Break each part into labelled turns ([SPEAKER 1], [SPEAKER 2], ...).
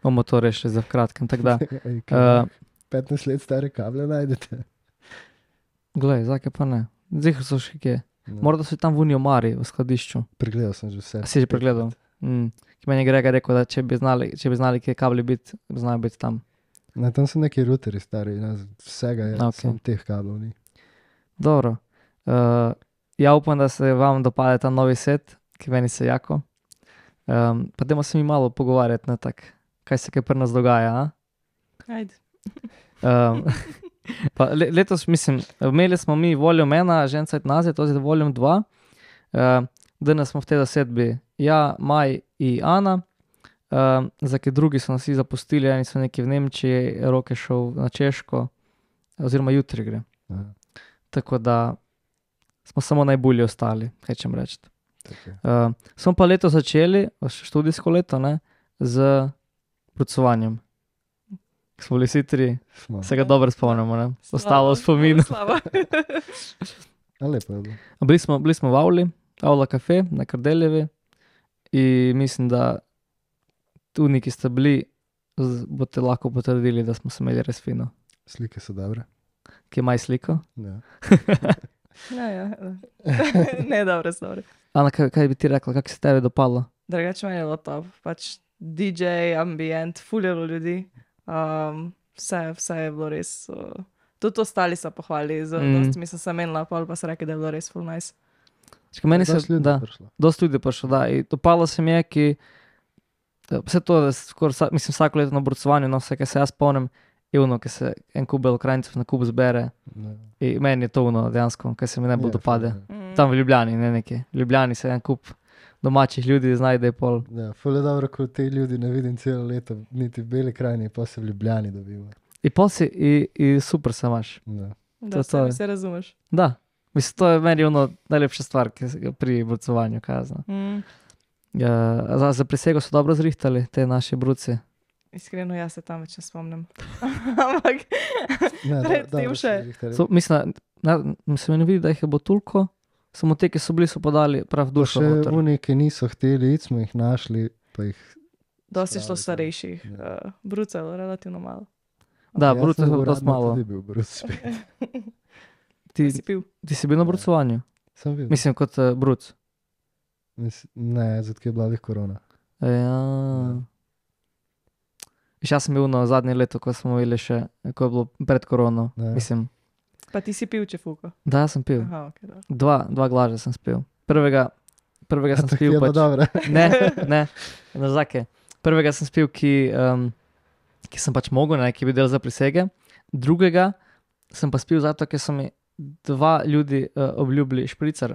[SPEAKER 1] Bomo to rešili za kratkem, tako da.
[SPEAKER 2] Ej, kaj, 15 let stare kable najdete.
[SPEAKER 1] Glej, zakaj pa ne? Zihar so še kje.
[SPEAKER 2] No.
[SPEAKER 1] Morda so tam v Uniji omari v skladišču.
[SPEAKER 2] Pregledal sem že vse.
[SPEAKER 1] A si že pregledal? Ki meni je Grega rekel, da če bi znali kje kabli biti, znajo biti tam.
[SPEAKER 2] Ne, tam so neki ruteri stari, ne, vsega je,
[SPEAKER 1] Ok.
[SPEAKER 2] samo teh kablov ni.
[SPEAKER 1] Dobro. Ja upam, da se vam dopade ta novi set, ki meni se jako. Pa dajmo se mi malo pogovarjati, ne, tak, kaj se kaj pri nas dogaja, a?
[SPEAKER 3] Ajde.
[SPEAKER 1] Pa letos, mislim, imeli smo mi Volume 1, Žencajt nazad, to je Volume 2. Danes smo v tej zasedbi ja, Maj in Ana. Za kaj drugi so nas vsi zapustili, eni so neki v Nemčiji, Rok je šel na Češko, oziroma jutri gre.
[SPEAKER 2] Aha,
[SPEAKER 1] Tako da smo samo najbolje ostali, hečem reči.
[SPEAKER 2] tako je.
[SPEAKER 1] Smo pa leto začeli, študijsko leto, ne, z brucovanjem. Smo bili vsi tri,
[SPEAKER 2] Smo.
[SPEAKER 1] se ga dobro spomnimo, ne. Ostalo v spominu.
[SPEAKER 3] Slava.
[SPEAKER 2] A lepo je bilo.
[SPEAKER 1] Bili smo v Avli, Avla kafe na Kardeljevi in mislim, da tudi, ki ste bili, boste lahko potrdili, da smo se imeli res fino.
[SPEAKER 2] Slike so dobre.
[SPEAKER 1] Ki je maj sliko.
[SPEAKER 2] Ja.
[SPEAKER 3] Ja. Ne, dobro, dobro.
[SPEAKER 1] Ana, kaj bi ti rekla, kako se tebi dopalo?
[SPEAKER 3] Drugače meni je bilo top. Pač DJ, ambient, ful je bilo ljudi. Vse je bilo res. Tudi ostali so pohvali, dosti mi so se menila, pol pa so rekli, da je bilo res ful nice.
[SPEAKER 1] Čakaj, meni se,
[SPEAKER 2] Dosti ljudi
[SPEAKER 1] da,
[SPEAKER 2] prišlo.
[SPEAKER 1] dosti ljudi je prišlo, da. In dopalo se mi je, ki vse to, da skoraj, mislim, vsako leto na brucovanju, no, vse, kaj se jaz spomnim, je ono, ki se en kup belokranjcev na kup zbere.
[SPEAKER 2] Ja.
[SPEAKER 1] In meni je to ono dejansko, kaj se mi najbolj
[SPEAKER 2] Je,
[SPEAKER 1] dopade.
[SPEAKER 2] ful je.
[SPEAKER 1] Tam v Ljubljani, ne nekje. V Ljubljani se en kup domačih ljudi znajde pol.
[SPEAKER 2] Ja, ful je dobro, ko te ljudi ne vidim celo leto, niti v Beli krajini, pa se v Ljubljani dobimo.
[SPEAKER 1] In pol si, in super se imaš.
[SPEAKER 2] Ja.
[SPEAKER 3] Da
[SPEAKER 1] To je.
[SPEAKER 3] se razumeš.
[SPEAKER 1] Da. Mislim, to je meni ono najlepša stvar, pri brucovanju, kaj jaz znam. Za prisego so dobro zrihtali, te naši bruci.
[SPEAKER 3] Iskreno, jaz se tam več ne spomnim. Ampak
[SPEAKER 2] Ne,
[SPEAKER 3] Predtem
[SPEAKER 2] dobro
[SPEAKER 3] še.
[SPEAKER 2] si zrihtali.
[SPEAKER 1] Mislim, se mi ne vidi, da jih je bo toliko, samo te, ki so bili, so podali prav
[SPEAKER 2] Pa
[SPEAKER 1] dušo
[SPEAKER 2] še
[SPEAKER 1] noter.
[SPEAKER 2] oni, ki niso hteli iti, smo jih našli, pa jih...
[SPEAKER 3] dosti je šlo
[SPEAKER 2] Spravi,
[SPEAKER 3] starejših.
[SPEAKER 2] ja.
[SPEAKER 3] Brucev, relativno malo.
[SPEAKER 1] Da,
[SPEAKER 2] Jaz
[SPEAKER 1] bruce
[SPEAKER 2] sem
[SPEAKER 1] so
[SPEAKER 2] bil
[SPEAKER 1] dosti
[SPEAKER 2] uradno
[SPEAKER 1] malo.
[SPEAKER 2] tudi bil bruc spet.
[SPEAKER 3] Si pil?
[SPEAKER 1] Ti si bil na
[SPEAKER 2] Ja.
[SPEAKER 1] brucovanju?
[SPEAKER 2] Sem bil.
[SPEAKER 1] Mislim, kot bruc.
[SPEAKER 2] Ne, zato je bila lih korona.
[SPEAKER 1] Ja. Viš, jaz sem bil na zadnje leto, ko smo imeli še, ko je bilo pred korono.
[SPEAKER 2] Ja.
[SPEAKER 1] Mislim,
[SPEAKER 3] Pa ti si pil, če fuko.
[SPEAKER 1] da, jaz sem pil.
[SPEAKER 3] Aha, ok, dobro.
[SPEAKER 1] Dva glaža sem spil. Prvega sem
[SPEAKER 2] Tako
[SPEAKER 1] spil
[SPEAKER 2] je bilo
[SPEAKER 1] pač.
[SPEAKER 2] dobro.
[SPEAKER 1] Ne, nazake. Prvega sem spil, ki sem pač mogel, ne, ki je bil del za prisege. Drugega sem pa spil zato, ker so mi dva ljudi obljubili špricer.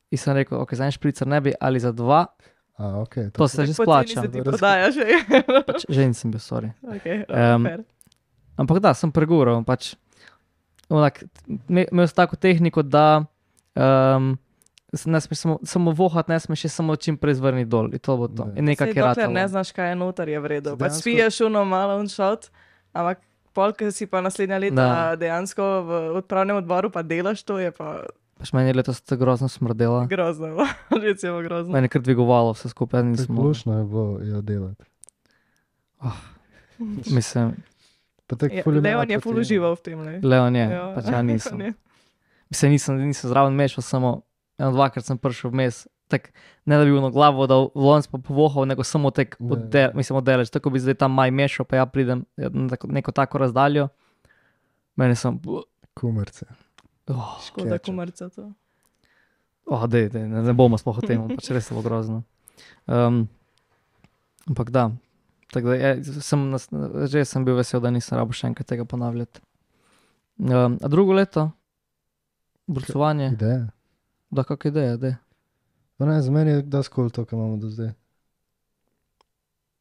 [SPEAKER 1] In sem rekel, ok, za en špricer ne bi, ali za dva,
[SPEAKER 2] A, ok.
[SPEAKER 1] to se že
[SPEAKER 3] Poceni
[SPEAKER 1] splača.
[SPEAKER 3] se ti
[SPEAKER 2] Dobro.
[SPEAKER 3] prodaja že.
[SPEAKER 1] Pač ženin sem bil, sorry.
[SPEAKER 3] Ok, fair.
[SPEAKER 1] Ampak da, sem pregural, pač imel sem tako tehniko, da ne smeš samo vohat, ne smeš še samo čim prej zvrniti dol. In to bo to.
[SPEAKER 2] Ne.
[SPEAKER 1] In nekaj,
[SPEAKER 3] Sej
[SPEAKER 1] ki je
[SPEAKER 3] dokler ne
[SPEAKER 1] ratalo.
[SPEAKER 3] znaš, kaj je noter, je v redu.
[SPEAKER 2] Saj
[SPEAKER 3] Pač
[SPEAKER 2] dejansko-
[SPEAKER 3] spiješ uno malo un shot, ampak pol, ko si pa naslednja leta
[SPEAKER 1] Da.
[SPEAKER 3] dejansko v odpravnem odboru pa delaš, to je pa
[SPEAKER 1] Pač meni je letos to grozno smrdela.
[SPEAKER 3] grozno. Že celo grozno.
[SPEAKER 1] Meni je kar dvigovalo vse skupaj,
[SPEAKER 2] Tako
[SPEAKER 1] nisem mogel.
[SPEAKER 2] lušno je bilo jo delati.
[SPEAKER 1] Mislim,
[SPEAKER 2] Pa tako
[SPEAKER 3] Ja,
[SPEAKER 2] ful
[SPEAKER 3] Leon
[SPEAKER 2] imajo
[SPEAKER 3] je ful
[SPEAKER 2] poti-
[SPEAKER 3] užival v tem. Ne?
[SPEAKER 1] Leon je,
[SPEAKER 3] Ja.
[SPEAKER 1] pač ja nisem.
[SPEAKER 3] Ne.
[SPEAKER 1] Mislim, nisem zraven mešal, samo dvakrat sem prišel vmes. Tak, ne da bi ono glavo dal v lonec pa povohal, nego samo tek
[SPEAKER 2] Ne.
[SPEAKER 1] oddeleč. Tako bi zdaj tam maj mešal, pa ja pridem na neko tako razdaljo. Meni sem,
[SPEAKER 2] Kumarce.
[SPEAKER 3] Škoda
[SPEAKER 2] Ketchup.
[SPEAKER 3] kumarca to.
[SPEAKER 1] dej, ne bomo sploh o tem, pač res je bilo grozno. Ampak da, tako da že sem bil vesel, da nisem rabo še enkrat tega ponavljati. A drugo leto, brucovanje,
[SPEAKER 2] Ideja.
[SPEAKER 1] da kakšna ideja, dej.
[SPEAKER 2] Pa ne, za meni je dosti cool to, kar imamo do zdaj.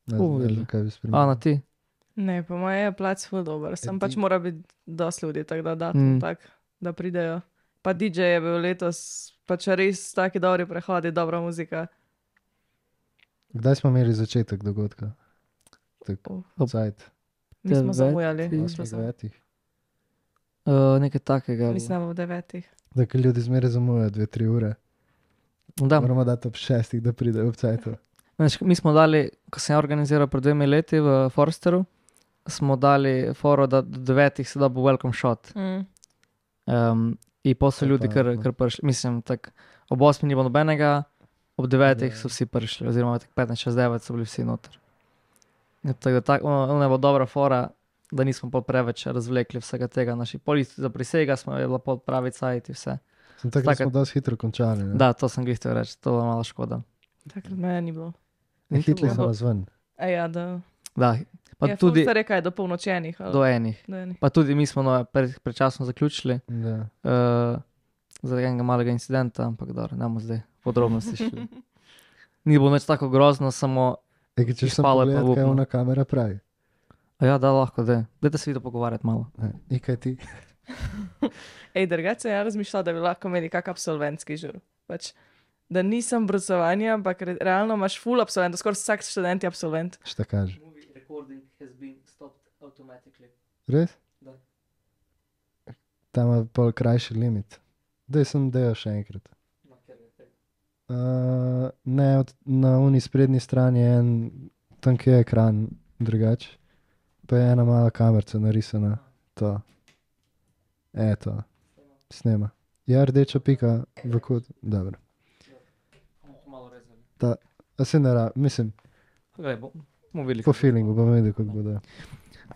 [SPEAKER 2] Ne znam,
[SPEAKER 1] Videli.
[SPEAKER 2] kaj bi spremenil.
[SPEAKER 1] Ana, ti?
[SPEAKER 3] Ne, po moje je plac ful dober. Sem
[SPEAKER 2] Ja,
[SPEAKER 3] pač
[SPEAKER 2] ti-
[SPEAKER 3] mora biti dosti ljudi, tako da datum
[SPEAKER 1] Mm.
[SPEAKER 3] tak, da pridejo. Pa DJ je bil letos pač res taki dobri prehodi, dobra muzika.
[SPEAKER 2] Kdaj smo imeli začetek dogodka? Tako,
[SPEAKER 3] Oh.
[SPEAKER 2] cajt.
[SPEAKER 3] Mi smo
[SPEAKER 1] Deveti.
[SPEAKER 3] zamujali.
[SPEAKER 1] Ti-
[SPEAKER 3] Smo samo-
[SPEAKER 2] 9.
[SPEAKER 1] Nekaj takega.
[SPEAKER 3] Mislim, da bo 9.
[SPEAKER 2] Da, ker ljudi zmeraj zamujajo 2-3 ure.
[SPEAKER 1] Da,
[SPEAKER 2] Moramo dati ob 6, da pridejo ob cajtu.
[SPEAKER 1] Veš, mi smo dali, ko sem organiziral pred 2 leti v Forsteru, smo dali foro, da do 9 se da bo welcome shot. In pa so
[SPEAKER 2] To je
[SPEAKER 1] ljudi
[SPEAKER 2] pametno.
[SPEAKER 1] kar prišli. Mislim, tak, ob 8 ni bilo nobenega, ob 9 so vsi prišli, oziroma tak 15, 6, 9 so bili vsi noter. Tako da ono je bila dobra fora, da nismo pa preveč razvlekli vsega tega. Naši polisi za prisega smo je bila pol pravi cajt in vse.
[SPEAKER 2] Sem tako, da smo dosti hitro končali. Ne?
[SPEAKER 1] Da, to sem glih reči, to je bila malo škoda.
[SPEAKER 3] Takrat meni ni bilo.
[SPEAKER 2] Hitli
[SPEAKER 1] bilo.
[SPEAKER 2] smo nas ven.
[SPEAKER 3] Ja, da.
[SPEAKER 1] Da, pa
[SPEAKER 3] Ja,
[SPEAKER 1] tudi
[SPEAKER 3] Forster je kaj, do polnočenih. ali?
[SPEAKER 1] do enih.
[SPEAKER 3] Do enih.
[SPEAKER 1] Pa tudi mi smo prečasno zaključili
[SPEAKER 2] Da.
[SPEAKER 1] zaradi enega malega incidenta, ampak dobro, ne bomo zdaj podrobnosti šli. Ni bilo nič tako grozno, samo,
[SPEAKER 2] Če sem
[SPEAKER 1] Spalo je pa
[SPEAKER 2] pogledal, kaj
[SPEAKER 1] upno.
[SPEAKER 2] ona kamera pravi.
[SPEAKER 1] a ja, da lahko, dajte se video pogovarjati malo.
[SPEAKER 2] In kaj ti?
[SPEAKER 3] Ej, drugače ja razmišljala, da bi lahko imeli kak absolventski žur. Pač, da nisem brcovanje, ampak realno imaš full absolvent, skoraj vsak študent je absolvent.
[SPEAKER 2] Šta kaže?
[SPEAKER 1] Movie recording has been stopped automatically.
[SPEAKER 2] Res?
[SPEAKER 1] Da.
[SPEAKER 2] Tam je pol krajši limit. Daj sem delal še enkrat. Ne, na uni sprednji strani je en tanki ekran drugače. Pa je ena mala kamerca narisana. To. To. Snema. Ja, rdeča pika v kot. Dobro.
[SPEAKER 1] Malo rezali.
[SPEAKER 2] A se ne mislim,
[SPEAKER 1] Glej, bomo videli.
[SPEAKER 2] po feelingu bom videl, kako bo da.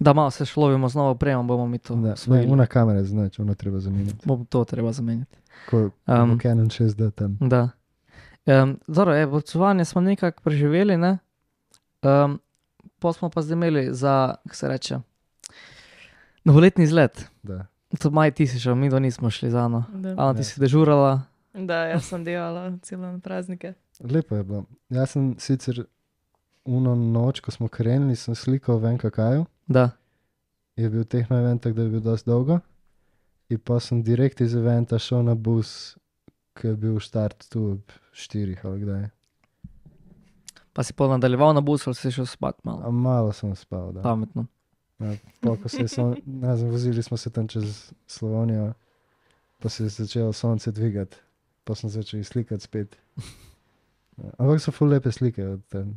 [SPEAKER 1] Da malo se šlovimo z novo opremo, bomo mi to
[SPEAKER 2] Da, ne,
[SPEAKER 1] osvojili.
[SPEAKER 2] una kamera je znač, ona treba zamenjati.
[SPEAKER 1] Bo to treba zamenjati.
[SPEAKER 2] Ko
[SPEAKER 1] Um,
[SPEAKER 2] Canon 6D tam.
[SPEAKER 1] Da. Dobro, vrcovanje smo nekako preživeli, ne? Pol smo pa zdaj imeli za, kako se reče, novoletni izlet.
[SPEAKER 2] Da.
[SPEAKER 1] To Maj, ti si šel, mi do nismo šli za Ano.
[SPEAKER 3] Da.
[SPEAKER 1] Ana, ti
[SPEAKER 2] Ne.
[SPEAKER 1] si dežurala.
[SPEAKER 3] Da, jaz sem delala celo na praznike.
[SPEAKER 2] Lepo je bilo. Jaz sem sicer uno noč, ko smo krenili, sem slikal v NKK-ju.
[SPEAKER 1] Da.
[SPEAKER 2] Je bil tehno event, tako da je bil dosti dolgo. In pa sem direkt iz eventa šel na bus, ki je bil štart tu ob 4 ali kdaj.
[SPEAKER 1] Pa si pol nadaljeval na busu ali si šel spat malo.
[SPEAKER 2] A malo sem spal, da.
[SPEAKER 1] Pametno.
[SPEAKER 2] Pa ko se je ne znam, vozili smo se tam čez Slovenijo, pa se je začelo sonce dvigati, pa sem začel slikati spet. Ampak so ful lepe slike od tam.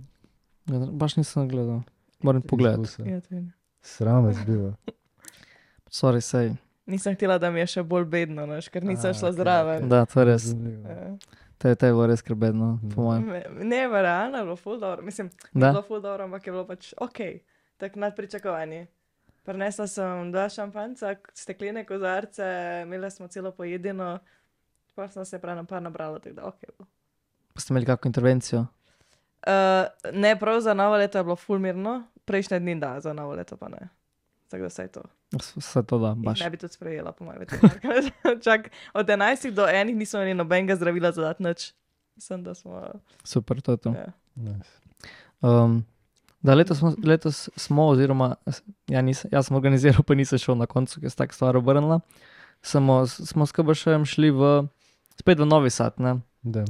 [SPEAKER 1] Ja, baš nisem gledal. Moram
[SPEAKER 2] iz
[SPEAKER 1] pogledati.
[SPEAKER 2] busa.
[SPEAKER 3] Ja, to je.
[SPEAKER 2] Sram je bilo.
[SPEAKER 1] Sorry, sej.
[SPEAKER 3] Nisem htela, da mi je še bolj bedno, naš, ker nisem šla
[SPEAKER 2] okej,
[SPEAKER 3] zraven.
[SPEAKER 2] okej.
[SPEAKER 1] Da, to je res.
[SPEAKER 2] Zanimivo.
[SPEAKER 3] Ja.
[SPEAKER 1] To je bilo res skrbedno, po mojem.
[SPEAKER 3] Ne, realno je bilo ful dobro. Mislim, ni
[SPEAKER 1] Da?
[SPEAKER 3] bilo ful dobro, ampak je bilo pač ok, tako nad pričakovanji. Prinesla sem 2 šampanjca, steklene kozarce, imeli smo celo pojedino, pa sem se prav nabrala, tako da ok. Bilo.
[SPEAKER 1] Pa ste imeli kakšno intervencijo?
[SPEAKER 3] Ne, prav za novo leto je bilo ful mirno, prejšnje dni da, za novo leto pa ne. Tako da vse to.
[SPEAKER 1] Vse to da,
[SPEAKER 3] Jih
[SPEAKER 1] baš.
[SPEAKER 3] ne bi tudi sprejela, po mojem veterinarka. Čak, od 11 do 1 nismo imeli nobenega zdravila za dati nič. Mislim, da smo...
[SPEAKER 1] Super, to je to.
[SPEAKER 3] Ja.
[SPEAKER 2] Nice.
[SPEAKER 1] Da, letos smo, oziroma jaz sem organiziral, pa nisem šel na koncu, ker se tako stvar obrnila. Smo s KBŠ-jem šli spet v Novi Sad, ne?
[SPEAKER 2] Da.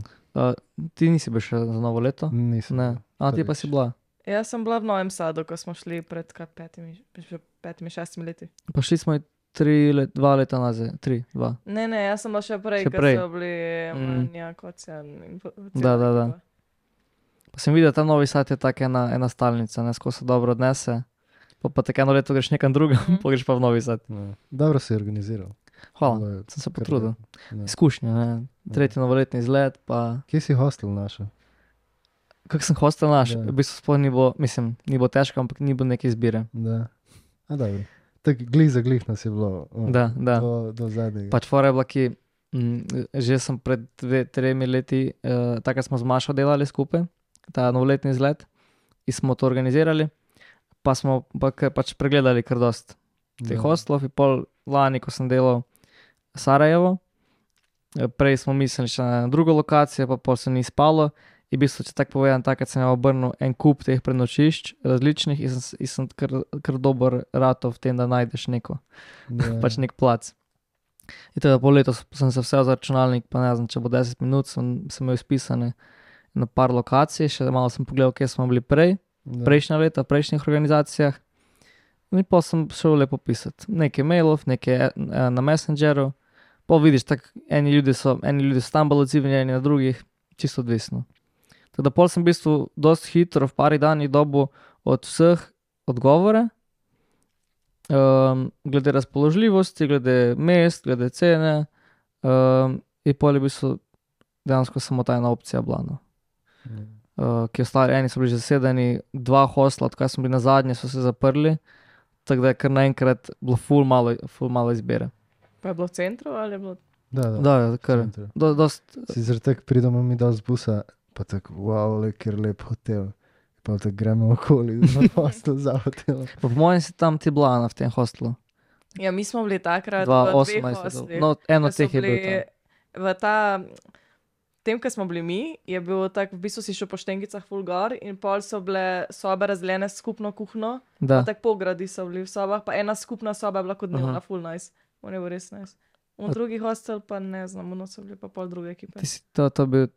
[SPEAKER 1] Ti nisi bil še za novo leto?
[SPEAKER 2] Nisem.
[SPEAKER 1] Ne. A ti pa si bila?
[SPEAKER 3] Jaz sem bila v Novem Sadu, ko smo šli pred 5-6 leti.
[SPEAKER 1] Pa šli smo 2 leta nazaj, 2.
[SPEAKER 3] Ne, jaz sem bila še prej,
[SPEAKER 1] Še
[SPEAKER 3] ker
[SPEAKER 1] prej.
[SPEAKER 3] so bili Manja, Kocjan in
[SPEAKER 1] Da. Pa sem videl, ta Novi Sad je tako ena stalnica, ne, skozi se dobro odnese. Pa tako eno leto greš nekam drugam, pa greš pa v Novi Sad.
[SPEAKER 2] Ne. Dobro si organiziral.
[SPEAKER 1] Hvala,
[SPEAKER 2] Bilo je
[SPEAKER 1] sem se
[SPEAKER 2] kar
[SPEAKER 1] potrudil.
[SPEAKER 2] lepo. Ne.
[SPEAKER 1] Izkušnje, ne. Tretji novoletni izlet, pa...
[SPEAKER 2] Kje si hostel našel?
[SPEAKER 1] Kak sem hostel naš,
[SPEAKER 2] Da.
[SPEAKER 1] v bistvu sploh ni bilo, mislim, ni bilo težko, ampak ni bilo neke izbire.
[SPEAKER 2] Da. A dobro. Tako glih za glih nas je bilo.
[SPEAKER 1] Da.
[SPEAKER 2] Do zadnjega.
[SPEAKER 1] Pač fora je bila, ki že sem pred 2-3 leti, takrat smo z Mašo delali skupaj, ta novoletni izlet, in smo to organizirali, pa smo pač pregledali kar dost teh hostlov, in pol lani, ko sem delal Sarajevo, prej smo mislili še na drugo lokacijo, pa pol se ni spalo, in v bistvu, če tako povedam, takrat sem obrnil en kup teh prenočišč različnih in sem kar dober ratov v tem, da najdeš neko, pač nek plac. In teda pol letos sem se vse za računalnik, pa ne znam, če bo 10 minut, sem imel izpisane na par lokacij, še malo sem pogledal, kje smo bili prejšnja leta, v prejšnjih organizacijah. In pa sem šel lepo pisati. Nekaj mailov, nekaj na Messengeru, pa vidiš, tako eni ljudje so tam bolj odzivni, eni na drugih, čisto odvisno. Tako da pol sem v bistvu dosti hitro v pari danih dobil od vseh odgovore, glede razpoložljivosti, glede mest, glede cene, in pol je v bistvu dejansko samo ta ena opcija bila, no. Ki ostali, eni so bili že zasedeni, 2 hostla, odkar smo bili na zadnje, so se zaprli, tako da je kar naenkrat bilo ful malo izbire.
[SPEAKER 3] Pa je bilo v centru ali je bilo?
[SPEAKER 1] Da, kar, dost,
[SPEAKER 2] Si zaradi tega pridemo mi dol z busa, pa tako, wow, ker lep hotel. Pa tako gremo okoli, na hostel za hotel.
[SPEAKER 1] pa po mojem si tam ti bila Ana v tem hostlu.
[SPEAKER 3] Ja, mi smo bili takrat v dveh
[SPEAKER 1] 2018,
[SPEAKER 3] hoslih.
[SPEAKER 1] no, eno
[SPEAKER 3] Ko
[SPEAKER 1] od
[SPEAKER 3] so
[SPEAKER 1] teh je bil
[SPEAKER 3] bili
[SPEAKER 1] tam.
[SPEAKER 3] tem, ko smo bili mi, je bil tak, v bistvu si šel po Štengicah ful gor in pol so bile sobe razdeljene s skupno kuhno,
[SPEAKER 1] Da,
[SPEAKER 3] pa tako pogradi so bili v sobah, pa ena skupna soba je bila kot dnevna,
[SPEAKER 1] Aha.
[SPEAKER 3] ful nice. On je bil res nice. Drugi hostel pa ne znam, ono so bili pa pol druge ekipe.
[SPEAKER 1] ti si to bil,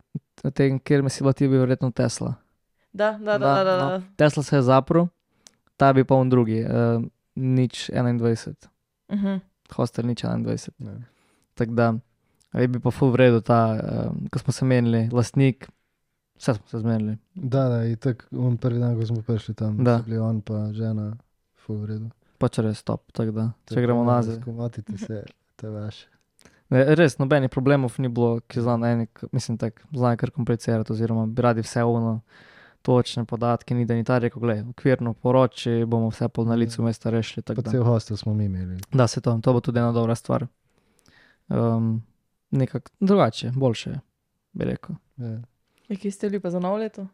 [SPEAKER 1] tem, kjer mi si bila ti bil verjetno Tesla.
[SPEAKER 3] Da.
[SPEAKER 1] No, Tesla se je zaprl, ta bi pa on drugi, nič 21, hostel nič 21.
[SPEAKER 2] Ne.
[SPEAKER 1] Tako da, je bi pa ful v redu ta, ko smo se menili, lastnik, vse smo se zmenili.
[SPEAKER 2] Da, in tako, on prvi dan, ko smo prišli tam,
[SPEAKER 1] Da.
[SPEAKER 2] so bili on pa žena, ful v redu.
[SPEAKER 1] Pač res top, tako da, če gremo nazaj.
[SPEAKER 2] Skomotite se, to je vaše.
[SPEAKER 1] Ne, res, nobenih problemov ni bilo, ki znajo eni, mislim tako, znajo kar komplicirati, oziroma bi radi vse ono, točne podatke, ni da ni ta rekel, glej, okvirno poroči, bomo vse pol na licu mesta rešili, tako
[SPEAKER 2] Pa
[SPEAKER 1] da.
[SPEAKER 2] cel hostel smo mi imeli.
[SPEAKER 1] Da, se to bo tudi ena dobra stvar. Nekako drugače, boljše, bi rekel.
[SPEAKER 2] Ja.
[SPEAKER 3] Kje ste bili pa za novo leto?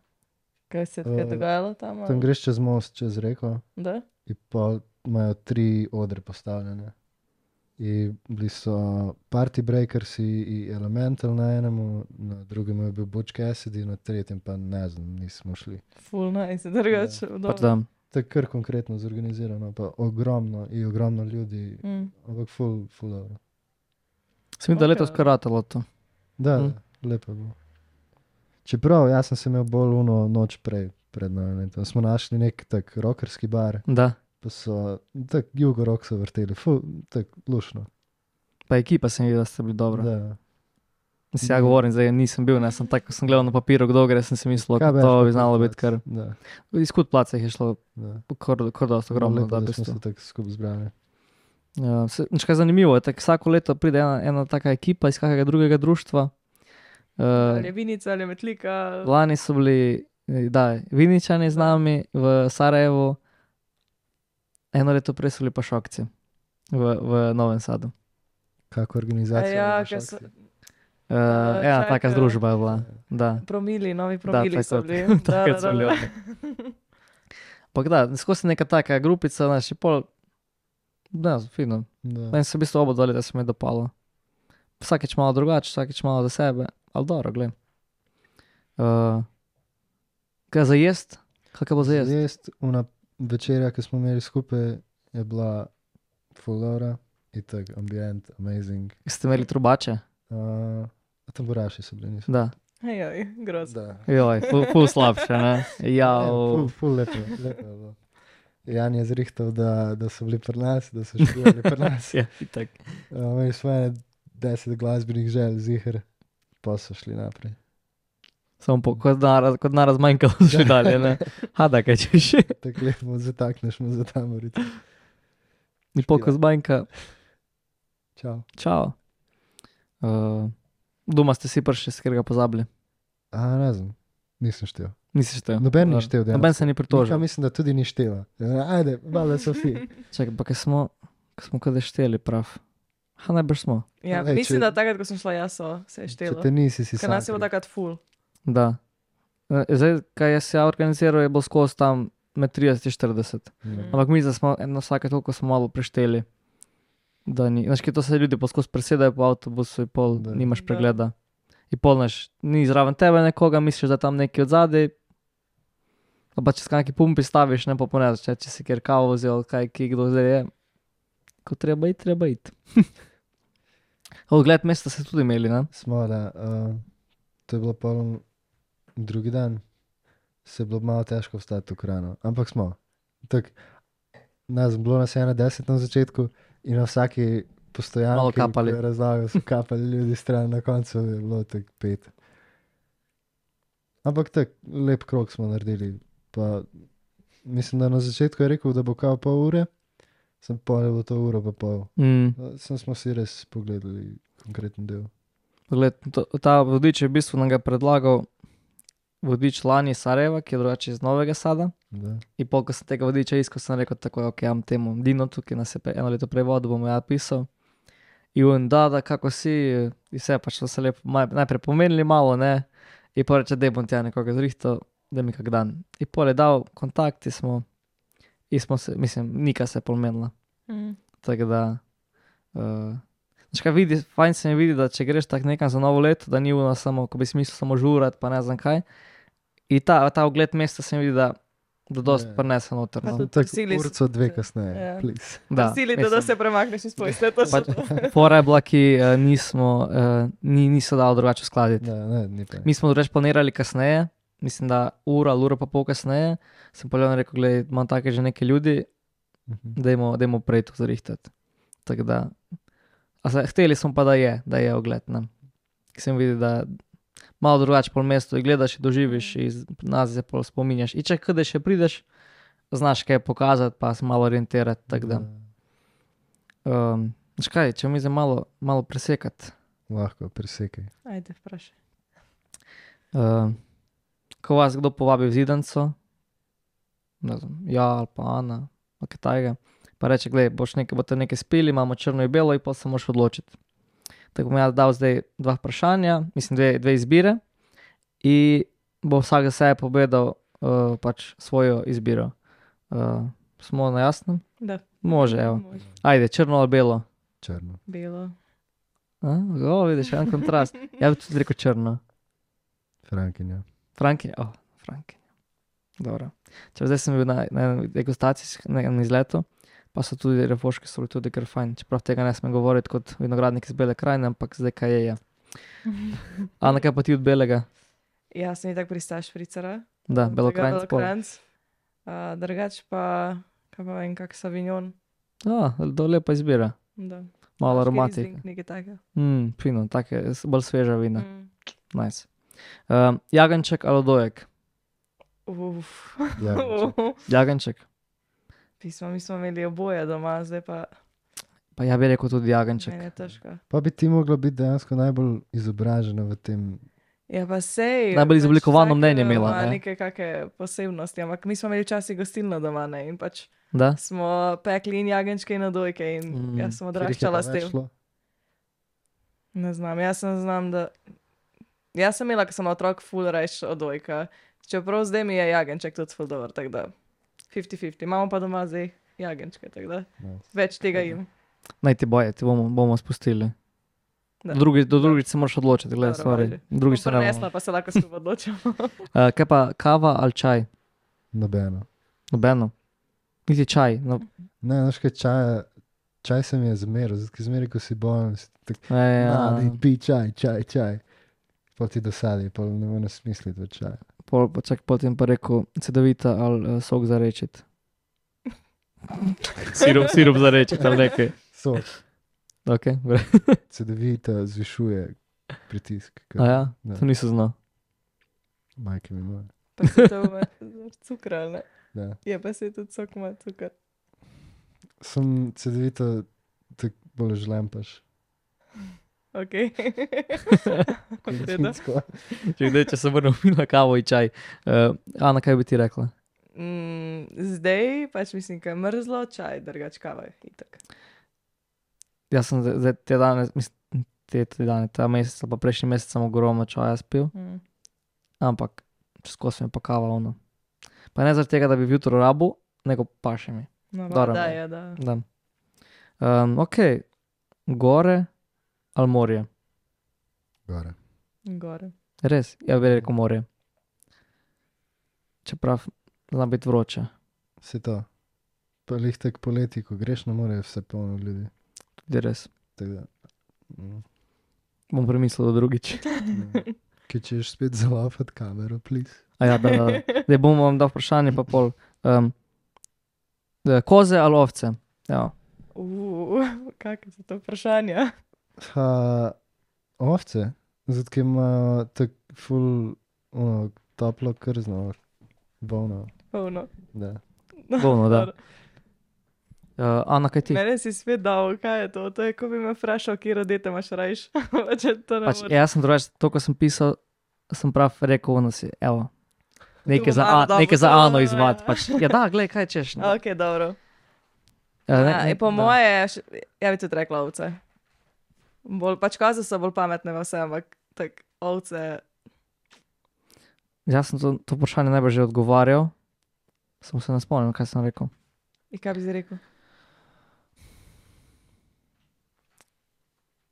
[SPEAKER 3] Kaj se je kaj dogajalo tam? ali?
[SPEAKER 2] Tam greš čez most, čez reko,
[SPEAKER 3] Da?
[SPEAKER 2] in pa imajo 3 odre postavljene. In bili so Party Breakersi in Elemental na enemu, na drugem je bil Butch Cassidy, na tretjem pa ne znam, nismo šli.
[SPEAKER 3] Ful nice, drugače.
[SPEAKER 1] Pač da,
[SPEAKER 2] Tako kar konkretno zorganizirano, pa ogromno ljudi, ampak ful dobro.
[SPEAKER 1] se mi da
[SPEAKER 3] Ok.
[SPEAKER 1] letos kar ratalo to.
[SPEAKER 2] Da,
[SPEAKER 1] Mm.
[SPEAKER 2] lepo je bilo. Čeprav jaz sem se imel bolj uno noč pred nami. Tam smo našli nek tak rockerski bar,
[SPEAKER 1] Da,
[SPEAKER 2] pa so tak jugo rock so vrteli, tak lušno.
[SPEAKER 1] pa ekipa se mi vidi, da ste bili dobro.
[SPEAKER 2] Da.
[SPEAKER 1] Mislim, ja govorim, zdaj nisem bil, ne, sem tako, ko sem gledal na papiru, kdo gre, sem si mislil,
[SPEAKER 2] Kaj
[SPEAKER 1] da
[SPEAKER 2] veš,
[SPEAKER 1] to
[SPEAKER 2] pa
[SPEAKER 1] bi znalo
[SPEAKER 2] tudi
[SPEAKER 1] biti kar,
[SPEAKER 2] Da,
[SPEAKER 1] iz Kut placa jih je šlo
[SPEAKER 2] da.
[SPEAKER 1] kar dosti ogromno,
[SPEAKER 2] Lepo,
[SPEAKER 1] da v
[SPEAKER 2] da smo
[SPEAKER 1] bistvu.
[SPEAKER 2] se tako skupaj zbrali.
[SPEAKER 1] Ja, nič kaj zanimivo je, tako vsako leto pride ena taka ekipa iz kakega drugega društva.
[SPEAKER 3] Ali je Vinica ali je Metlika.
[SPEAKER 1] Lani so bili, da, Viničani z nami v Sarajevu, eno leto prej so bili pa Šokci v Novem Sadu.
[SPEAKER 2] Kako organizacija?
[SPEAKER 3] Ja,
[SPEAKER 2] imaš
[SPEAKER 3] ker so
[SPEAKER 2] akcije?
[SPEAKER 1] Ena taka
[SPEAKER 3] čakaj.
[SPEAKER 1] združba je bila, da.
[SPEAKER 3] promili, novi promili
[SPEAKER 1] tako,
[SPEAKER 3] so bili.
[SPEAKER 1] takrat so bili oni. Ampak da, skozi neka taka grupica, znaš, je pol, da, fino.
[SPEAKER 2] Da.
[SPEAKER 1] Meni se v bistvu oba dva leta se mi je dopalo. Vsakeč malo drugače, vsakeč malo za sebe, ali dobro, glej. Kaj za jest? Kaj bo za jest?
[SPEAKER 2] Jest, una večerja, ki smo imeli skupaj, je bila full dobra, in tako ambient, amazing.
[SPEAKER 1] Ste imeli trubače?
[SPEAKER 2] Tamburaši so bili, niso.
[SPEAKER 1] Da.
[SPEAKER 3] Hej, grozno.
[SPEAKER 2] Da.
[SPEAKER 1] Joj, ful slabše, ne? Ja,
[SPEAKER 2] Ful lepo je bilo. Jan je zrihtal, da so bili pri nas, da so še bili pri nas.
[SPEAKER 1] ja, itak.
[SPEAKER 2] Imeli smo ene 10 glasbenih želj, ziher, pa so šli naprej.
[SPEAKER 1] Samo kot naraz manjkalo še dalje, ne? Hada, kaj češ.
[SPEAKER 2] Tako lepo zatakneš mu za tamorico.
[SPEAKER 1] Ni pol, ko zmanjka.
[SPEAKER 2] Čau.
[SPEAKER 1] Čau. Doma ste si prišli, s katerega pozabili.
[SPEAKER 2] Ne znam, nisem štel.
[SPEAKER 1] Nisi štel.
[SPEAKER 2] Noben ni štel, dejansko.
[SPEAKER 1] Noben se ni
[SPEAKER 2] Nika
[SPEAKER 1] pritožil.
[SPEAKER 2] mislim, da tudi ni štela. Ajde, valjda so vsi.
[SPEAKER 1] Čakaj, pa ko smo kada šteli prav. Najbrž smo.
[SPEAKER 3] Ja,
[SPEAKER 2] Lej,
[SPEAKER 3] mislim,
[SPEAKER 2] če-
[SPEAKER 3] da takrat, ko sem šla jaz, se je
[SPEAKER 2] Če
[SPEAKER 3] štelo.
[SPEAKER 2] te nisi, si
[SPEAKER 3] Ker nas je bilo
[SPEAKER 2] sakri.
[SPEAKER 3] takrat full.
[SPEAKER 1] Da. Zdaj, kaj jaz ja organiziral, je bilo skozi tam med 30 in 40. Ampak mi zdaj smo eno vsake toliko smo malo prešteli. Da ni, znaš, kaj to se ljudi poskozi presedajo po avtobusu in pol
[SPEAKER 2] Da.
[SPEAKER 1] nimaš
[SPEAKER 3] Da.
[SPEAKER 1] pregleda. In pol naš, ni zraven tebe nekoga, misliš, da je tam neki od zadaj. Pa če s kakšni pumpi staviš, ne pa ponezaš, če si kjer kavo vzel, kaj ki kdo zdaj je. Ko treba iti, treba iti. Ogled mesta ste tudi imeli, ne?
[SPEAKER 2] Smo, da. To je bilo poln drugi dan. Se je bilo malo težko vstati v krano. Ampak smo. Tak, bilo nas je 10 na začetku in na vsaki
[SPEAKER 1] Malo
[SPEAKER 2] postojanki,
[SPEAKER 1] kapali.
[SPEAKER 2] ko je razlagal, so kapali ljudi stran, na koncu je bilo tak 5. Ampak tak lep krog smo naredili. Pa mislim, da na začetku je rekel, da bo kao pol ure, sem pa je bilo to uro pa pol. Sem smo si res pogledali konkreten del.
[SPEAKER 1] Pogled, ta vodič je v bistvu nam ga predlagal vodič lani iz Sarajeva, ki je drugače iz Novega Sada.
[SPEAKER 2] Da.
[SPEAKER 1] In pol, ko sem tega vodiča iskal, sem rekel tako, ok, imam temu Dinotu, ki nas je eno leto prej vodil, bom ja pisal. In on, da, kako si, in vse pač so se lepo najprej pomenili malo, ne, in pol reče, da bom tja nekoga zrihtal, da mi kak dan. In pol je dal kontakt in smo se, mislim, nika se je pomenila. Tako da, znaš kaj vidi, fajn se mi vidi, da če greš tak nekam za novo leto, da ni ono samo, ko bi si mislil samo žurat, pa ne znam kaj. In ta ogled mesta se mi vidi, da dost prinese noter.
[SPEAKER 3] Pa
[SPEAKER 1] No.
[SPEAKER 3] tudi
[SPEAKER 2] Tako
[SPEAKER 3] prisili
[SPEAKER 2] urco dve kasneje,
[SPEAKER 3] Ja.
[SPEAKER 2] please.
[SPEAKER 1] Da,
[SPEAKER 3] Silite, da
[SPEAKER 1] mislim,
[SPEAKER 3] se premakneš iz posle, to
[SPEAKER 1] pač, fora je bila, ki niso dali drugače uskladiti.
[SPEAKER 2] Da, ne, ni pa.
[SPEAKER 1] Mi smo drugače planirali kasneje, mislim, da uro pa pol kasneje, sem pa Leon rekel, glej, imam take že neke ljudi, dajmo prej to zrihtati. Tako da, hteli smo pa, da je ogled, ne. Ki se mi vidi, da malo drugače pol mesto in gledaš in doživiš in nas se pol spominjaš. In če kdaj še prideš, znaš kaj pokazati, pa se malo orientirati, tako da. Znaš kaj, če mi zdaj malo presekati.
[SPEAKER 2] Lahko, presekaj.
[SPEAKER 3] Ajde, vprašaj.
[SPEAKER 1] Ko vas kdo povabi v Zidanco, ne znam, ja ali pa Ana, ali kaj tajega, pa reče, glej, boste nekaj spili, imamo črno in belo in pa se moraš odločiti. Tako bom jaz dal zdaj dva vprašanja, mislim dve izbire in bo vsak za sebe povedal pač svojo izbiro. Smo na jasnem?
[SPEAKER 3] Da.
[SPEAKER 1] Može, evo.
[SPEAKER 3] Može.
[SPEAKER 1] Ajde, črno ali belo?
[SPEAKER 2] Črno.
[SPEAKER 3] Belo.
[SPEAKER 1] Vidiš, en kontrast. Ja bi tudi rekel črno.
[SPEAKER 2] Frankinja.
[SPEAKER 1] Frankinja, Frankinja. Dobro. Zdaj sem bil na degustaciji, na enem izletu, pa so tudi refoški so bili tudi kar fajn, čeprav tega ne smem govoriti kot vinogradnik iz Bele krajine, ampak zdaj kaj je. Ana, kaj pa ti od belega?
[SPEAKER 3] Ja, sem tako pristaš fricara.
[SPEAKER 1] Da, Belokranjc.
[SPEAKER 3] Drugač pa, kaj pa vem, kak Savignon.
[SPEAKER 1] Lepa izbira.
[SPEAKER 3] Da.
[SPEAKER 1] Malo
[SPEAKER 3] Baški
[SPEAKER 1] aromatike.
[SPEAKER 3] Riesling, nekaj takega.
[SPEAKER 1] Fino, take, bolj sveža vina. Nice.
[SPEAKER 3] Mm.
[SPEAKER 1] Jagenček ali dojek?
[SPEAKER 2] Jagenček.
[SPEAKER 1] Jagenček.
[SPEAKER 3] Mi smo imeli oboje doma, zdaj pa
[SPEAKER 1] Pa ja bi rekel tudi jagenček.
[SPEAKER 3] meni je težko.
[SPEAKER 2] Pa bi ti mogla biti dejansko najbolj izobražena v tem.
[SPEAKER 3] Ja, pa sej.
[SPEAKER 1] Najbolj izoblikovano
[SPEAKER 3] vsak
[SPEAKER 1] mnenje imela,
[SPEAKER 3] ima
[SPEAKER 1] ne?
[SPEAKER 3] neke kake posebnosti, ampak mi smo imeli včasih gostilno doma, ne, in pač
[SPEAKER 1] Da?
[SPEAKER 3] smo pekli in jagenčke in odojke in jaz sem odraščala s tem. Ne znam, jaz sem imela, ko sem otrok, ful reč odojka. Čeprav zdaj mi je jagenček tudi ful dober, tako da 50-50. Imamo pa doma zdaj jagenčke, tako da več tega jim.
[SPEAKER 1] Naj ti boje, ti bomo spustili.
[SPEAKER 3] Da.
[SPEAKER 1] Do drugič se moraš odločiti, gledaj,
[SPEAKER 3] Dobro,
[SPEAKER 1] stvari.
[SPEAKER 3] važi.
[SPEAKER 1] Drugič se ne bomo.
[SPEAKER 3] Prenesla, pa se lahko skupaj odločimo.
[SPEAKER 1] Kaj pa kava ali čaj?
[SPEAKER 2] Nobeno.
[SPEAKER 1] Nobeno. Niti čaj. No,
[SPEAKER 2] Ne, znaš kaj, čaj se mi je zmeril, zato ker zmeraj, ko si bolen, si tako,
[SPEAKER 1] ja.
[SPEAKER 2] pi čaj. Pa ti dosadi, pa ne moreš smisliti v čaj.
[SPEAKER 1] Potem pa rekel, cedovita ali sok za rečit. Sirup za rečit ali nekaj.
[SPEAKER 2] Sok,
[SPEAKER 1] Ok,
[SPEAKER 2] cedevita zvišuje pritisk.
[SPEAKER 1] A ja,
[SPEAKER 2] Da.
[SPEAKER 1] to nisem znal.
[SPEAKER 2] Majke mi moje.
[SPEAKER 3] Pa se to ima cukr, ali ne?
[SPEAKER 2] Da.
[SPEAKER 3] Je pa se tudi sok ima cukr.
[SPEAKER 2] Sem cedevita, tako bolj žlempaš.
[SPEAKER 3] Ok.
[SPEAKER 2] Količinsko.
[SPEAKER 1] Če se vrnem na kavo in čaj. Ana, kaj bi ti rekla?
[SPEAKER 3] Zdaj pač mislim, da je mrzlo, čaj, drugač kava je itak.
[SPEAKER 1] Jaz sem zdaj te dane, mislim, ta mesec ali pa prejšnji mesec sem ogromno čaja spil, ampak skozi mi pa kava ono. Pa ne zaradi tega, da bi jutro rabu, nego paše mi.
[SPEAKER 3] No,
[SPEAKER 1] Dobro.
[SPEAKER 3] da je, da.
[SPEAKER 1] Da. Ok, gore ali morje?
[SPEAKER 2] Gore.
[SPEAKER 3] Gore.
[SPEAKER 1] Res, ja bi rekel morje. Čeprav zna biti vroče.
[SPEAKER 2] Se to. Pa lih tak poleti, ko greš na more, je vse polno ljudi.
[SPEAKER 1] Tudi res.
[SPEAKER 2] Tako da.
[SPEAKER 1] Bom premislil do drugič.
[SPEAKER 2] Kaj češ spet zalafati kamero, please?
[SPEAKER 1] A ja, da. Zdaj bom vam dal vprašanje pa pol. Koze ali ovce? Ja.
[SPEAKER 3] Kakve so to vprašanja?
[SPEAKER 2] Ovce, zato ker ima tak ful, toplo krzno, volno.
[SPEAKER 3] Polno.
[SPEAKER 2] Da.
[SPEAKER 1] Polno, da. Ana, kaj ti?
[SPEAKER 3] Mene si spet dal, kaj je to? To je, ko bi me vprašal, kje rodite imaš rajš. To ne
[SPEAKER 1] Pač,
[SPEAKER 3] moreš.
[SPEAKER 1] jaz sem drugače, to, ko sem pisal, sem prav rekel, ono si, evo. Nekaj
[SPEAKER 3] Tu bom malo dobro
[SPEAKER 1] nekaj za
[SPEAKER 3] to,
[SPEAKER 1] Ano
[SPEAKER 3] ja.
[SPEAKER 1] izvad. Pač, ja, da, glej, kaj češ. Ne?
[SPEAKER 3] Ok, dobro. Po
[SPEAKER 1] Da.
[SPEAKER 3] moje, ja bi tudi rekla ovce. Pač koze so bolj pametne v vse, ampak tak ovce.
[SPEAKER 1] Jaz sem to vprašanje najbolj že odgovarjal. Samo se ne spomnim, kaj sem rekel.
[SPEAKER 3] In kaj bi si rekel?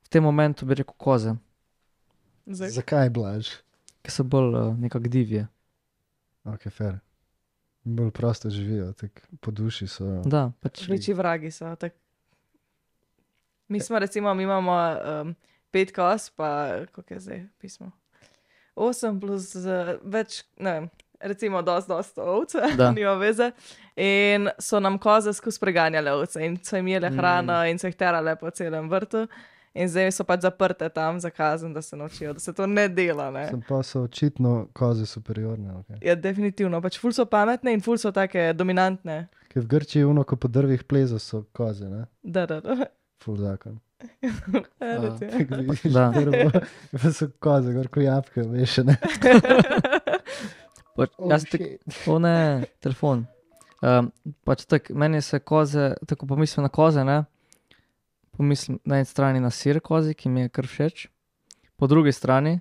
[SPEAKER 1] V tem momentu bi rekel koze,
[SPEAKER 2] Zakaj blaž?
[SPEAKER 1] ki so bolj nekako divje.
[SPEAKER 2] Ok, fair. Bolj prosto živijo, tako po duši so.
[SPEAKER 1] Da, pač.
[SPEAKER 3] Večji vragi so. Tak. Mi smo recimo, mi imamo 5 koz, pa koliko je zdaj pismo? 8 plus več, ne vem, recimo dosti ovce,
[SPEAKER 1] Da.
[SPEAKER 3] nima veze. In so nam koze skozi preganjale ovce in so jim jele hrano in so jih terale po celem vrtu. In zdaj so pač zaprte tam za kazen, da se naučijo, da se to ne dela. Ne?
[SPEAKER 2] Sem pa so očitno koze superiorne. Okay.
[SPEAKER 3] Ja, definitivno. Pač ful so pametne in ful so take dominantne.
[SPEAKER 2] Ker v Grčiji uno, ko po drvih pleza so koze, ne?
[SPEAKER 3] Da.
[SPEAKER 2] Ful zakon.
[SPEAKER 3] Recimo.
[SPEAKER 2] Tako vidiš
[SPEAKER 1] Da.
[SPEAKER 2] drvo, pa so koze, gor ko jabke, veš, ne?
[SPEAKER 1] Pač, jaz o ne, telefon. Pač tako, meni se koze, tako pomislim na koze, ne? Pomislim na eni strani na sir kozi, ki mi je kar všeč, po drugi strani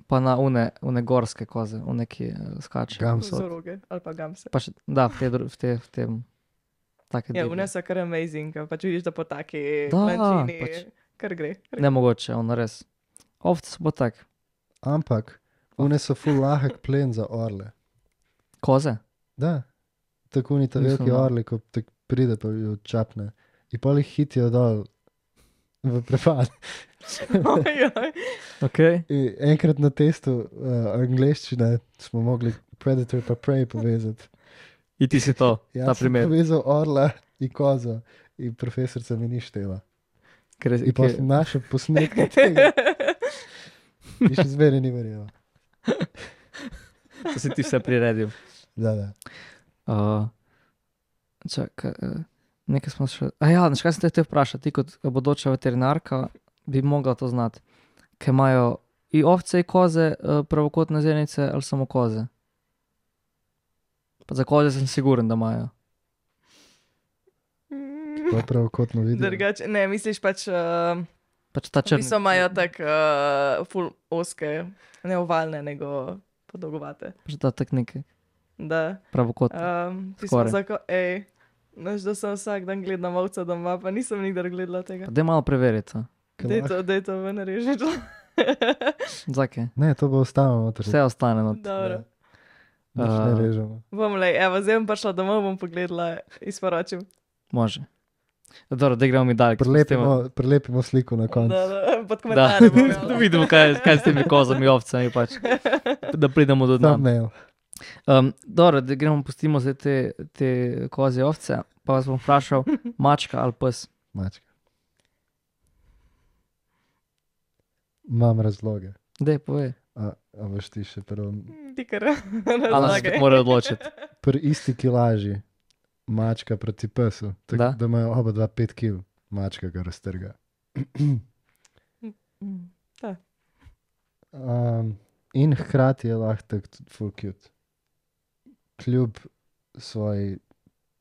[SPEAKER 1] pa na une gorske koze, une, ki skačejo.
[SPEAKER 2] Gamse.
[SPEAKER 3] Zoroge ali pa gamse.
[SPEAKER 1] Pač, da, v tem, take
[SPEAKER 3] Ja,
[SPEAKER 1] divje.
[SPEAKER 3] une so kar amazing, ker pač vidiš, da po taki
[SPEAKER 1] Da,
[SPEAKER 3] lančini
[SPEAKER 1] pač.
[SPEAKER 3] kar gre.
[SPEAKER 1] Nemogoče, ono res. Ovce so pa tak.
[SPEAKER 2] Ampak, une so ful lahek plen za orle.
[SPEAKER 1] Koze?
[SPEAKER 2] Da. Tako ni ta
[SPEAKER 1] Nisem
[SPEAKER 2] veliki
[SPEAKER 1] znal.
[SPEAKER 2] orli, ko tak pride pa jo čapne. In pol jih hitijo dol v prepad.
[SPEAKER 3] Ojoj.
[SPEAKER 1] Okay.
[SPEAKER 2] In enkrat na testu angleščine smo mogli predator pa prey povezati.
[SPEAKER 1] In ti si to, ta
[SPEAKER 2] Jaz sem
[SPEAKER 1] primer.
[SPEAKER 2] povezal orla in kozo in profesorica mi ni štela.
[SPEAKER 1] Ker,
[SPEAKER 2] In pa sem našel posnetke tega. In še zmeraj ni verjela.
[SPEAKER 1] to si ti vse priredil.
[SPEAKER 2] Da.
[SPEAKER 1] Čakaj, nekaj smo še... ja, znaš, kaj sem te hotel vprašati, ti kot bodoča veterinarka bi mogla to znati. Ker imajo i ovce i koze pravokotne zenice ali samo koze? Pa za koze sem siguren, da imajo.
[SPEAKER 2] To je pravokotno video.
[SPEAKER 3] Drugače, ne, misliš pač,
[SPEAKER 1] Pač ta črni.
[SPEAKER 3] niso imajo tako ful oske, ne ovalne, nego podolgovate.
[SPEAKER 1] Pač ta tak nekaj
[SPEAKER 3] Da.
[SPEAKER 1] pravokotne.
[SPEAKER 3] Ti smo
[SPEAKER 1] Skoraj.
[SPEAKER 3] znaš, da sem vsak dan gledala ovca doma, pa nisem nikdar gledala tega.
[SPEAKER 1] Pa daj malo preveriti. a.
[SPEAKER 3] Dej to ven režiti.
[SPEAKER 1] Zakaj?
[SPEAKER 2] Ne, to bo ostalo noter.
[SPEAKER 1] Vse ostane. No.
[SPEAKER 3] Dobro.
[SPEAKER 2] Nič ne režemo.
[SPEAKER 3] Bom lej, evo, zdaj bom prišla domov, bom pogledala in sporočim.
[SPEAKER 1] Može. Dobro, da gremo mi dalje.
[SPEAKER 2] Prelepimo sliko na koncu.
[SPEAKER 3] Da, pod
[SPEAKER 1] Da,
[SPEAKER 3] komentarjem bom
[SPEAKER 1] da
[SPEAKER 3] jala.
[SPEAKER 1] vidimo, kaj s temi kozami, ovcami, pač. Da pridemo do dna.
[SPEAKER 2] Thumbnail.
[SPEAKER 1] Dobro, da gremo, pustimo zdaj te kozje ovce, pa vas bom vprašal, mačka ali pes.
[SPEAKER 2] Mačka. Imam razloge.
[SPEAKER 1] Dej, povej.
[SPEAKER 2] A boš ti še prvo.
[SPEAKER 3] Ti kar
[SPEAKER 1] Ali se
[SPEAKER 3] razlagaj.
[SPEAKER 1] mora odločiti.
[SPEAKER 2] Pri isti kilaži mačka proti pesu,
[SPEAKER 1] Da.
[SPEAKER 2] tako da imajo oba 5 kg, mačka ga raztrga.
[SPEAKER 3] Da.
[SPEAKER 2] In hkrati je lahko tako tudi full cute. Kljub svoji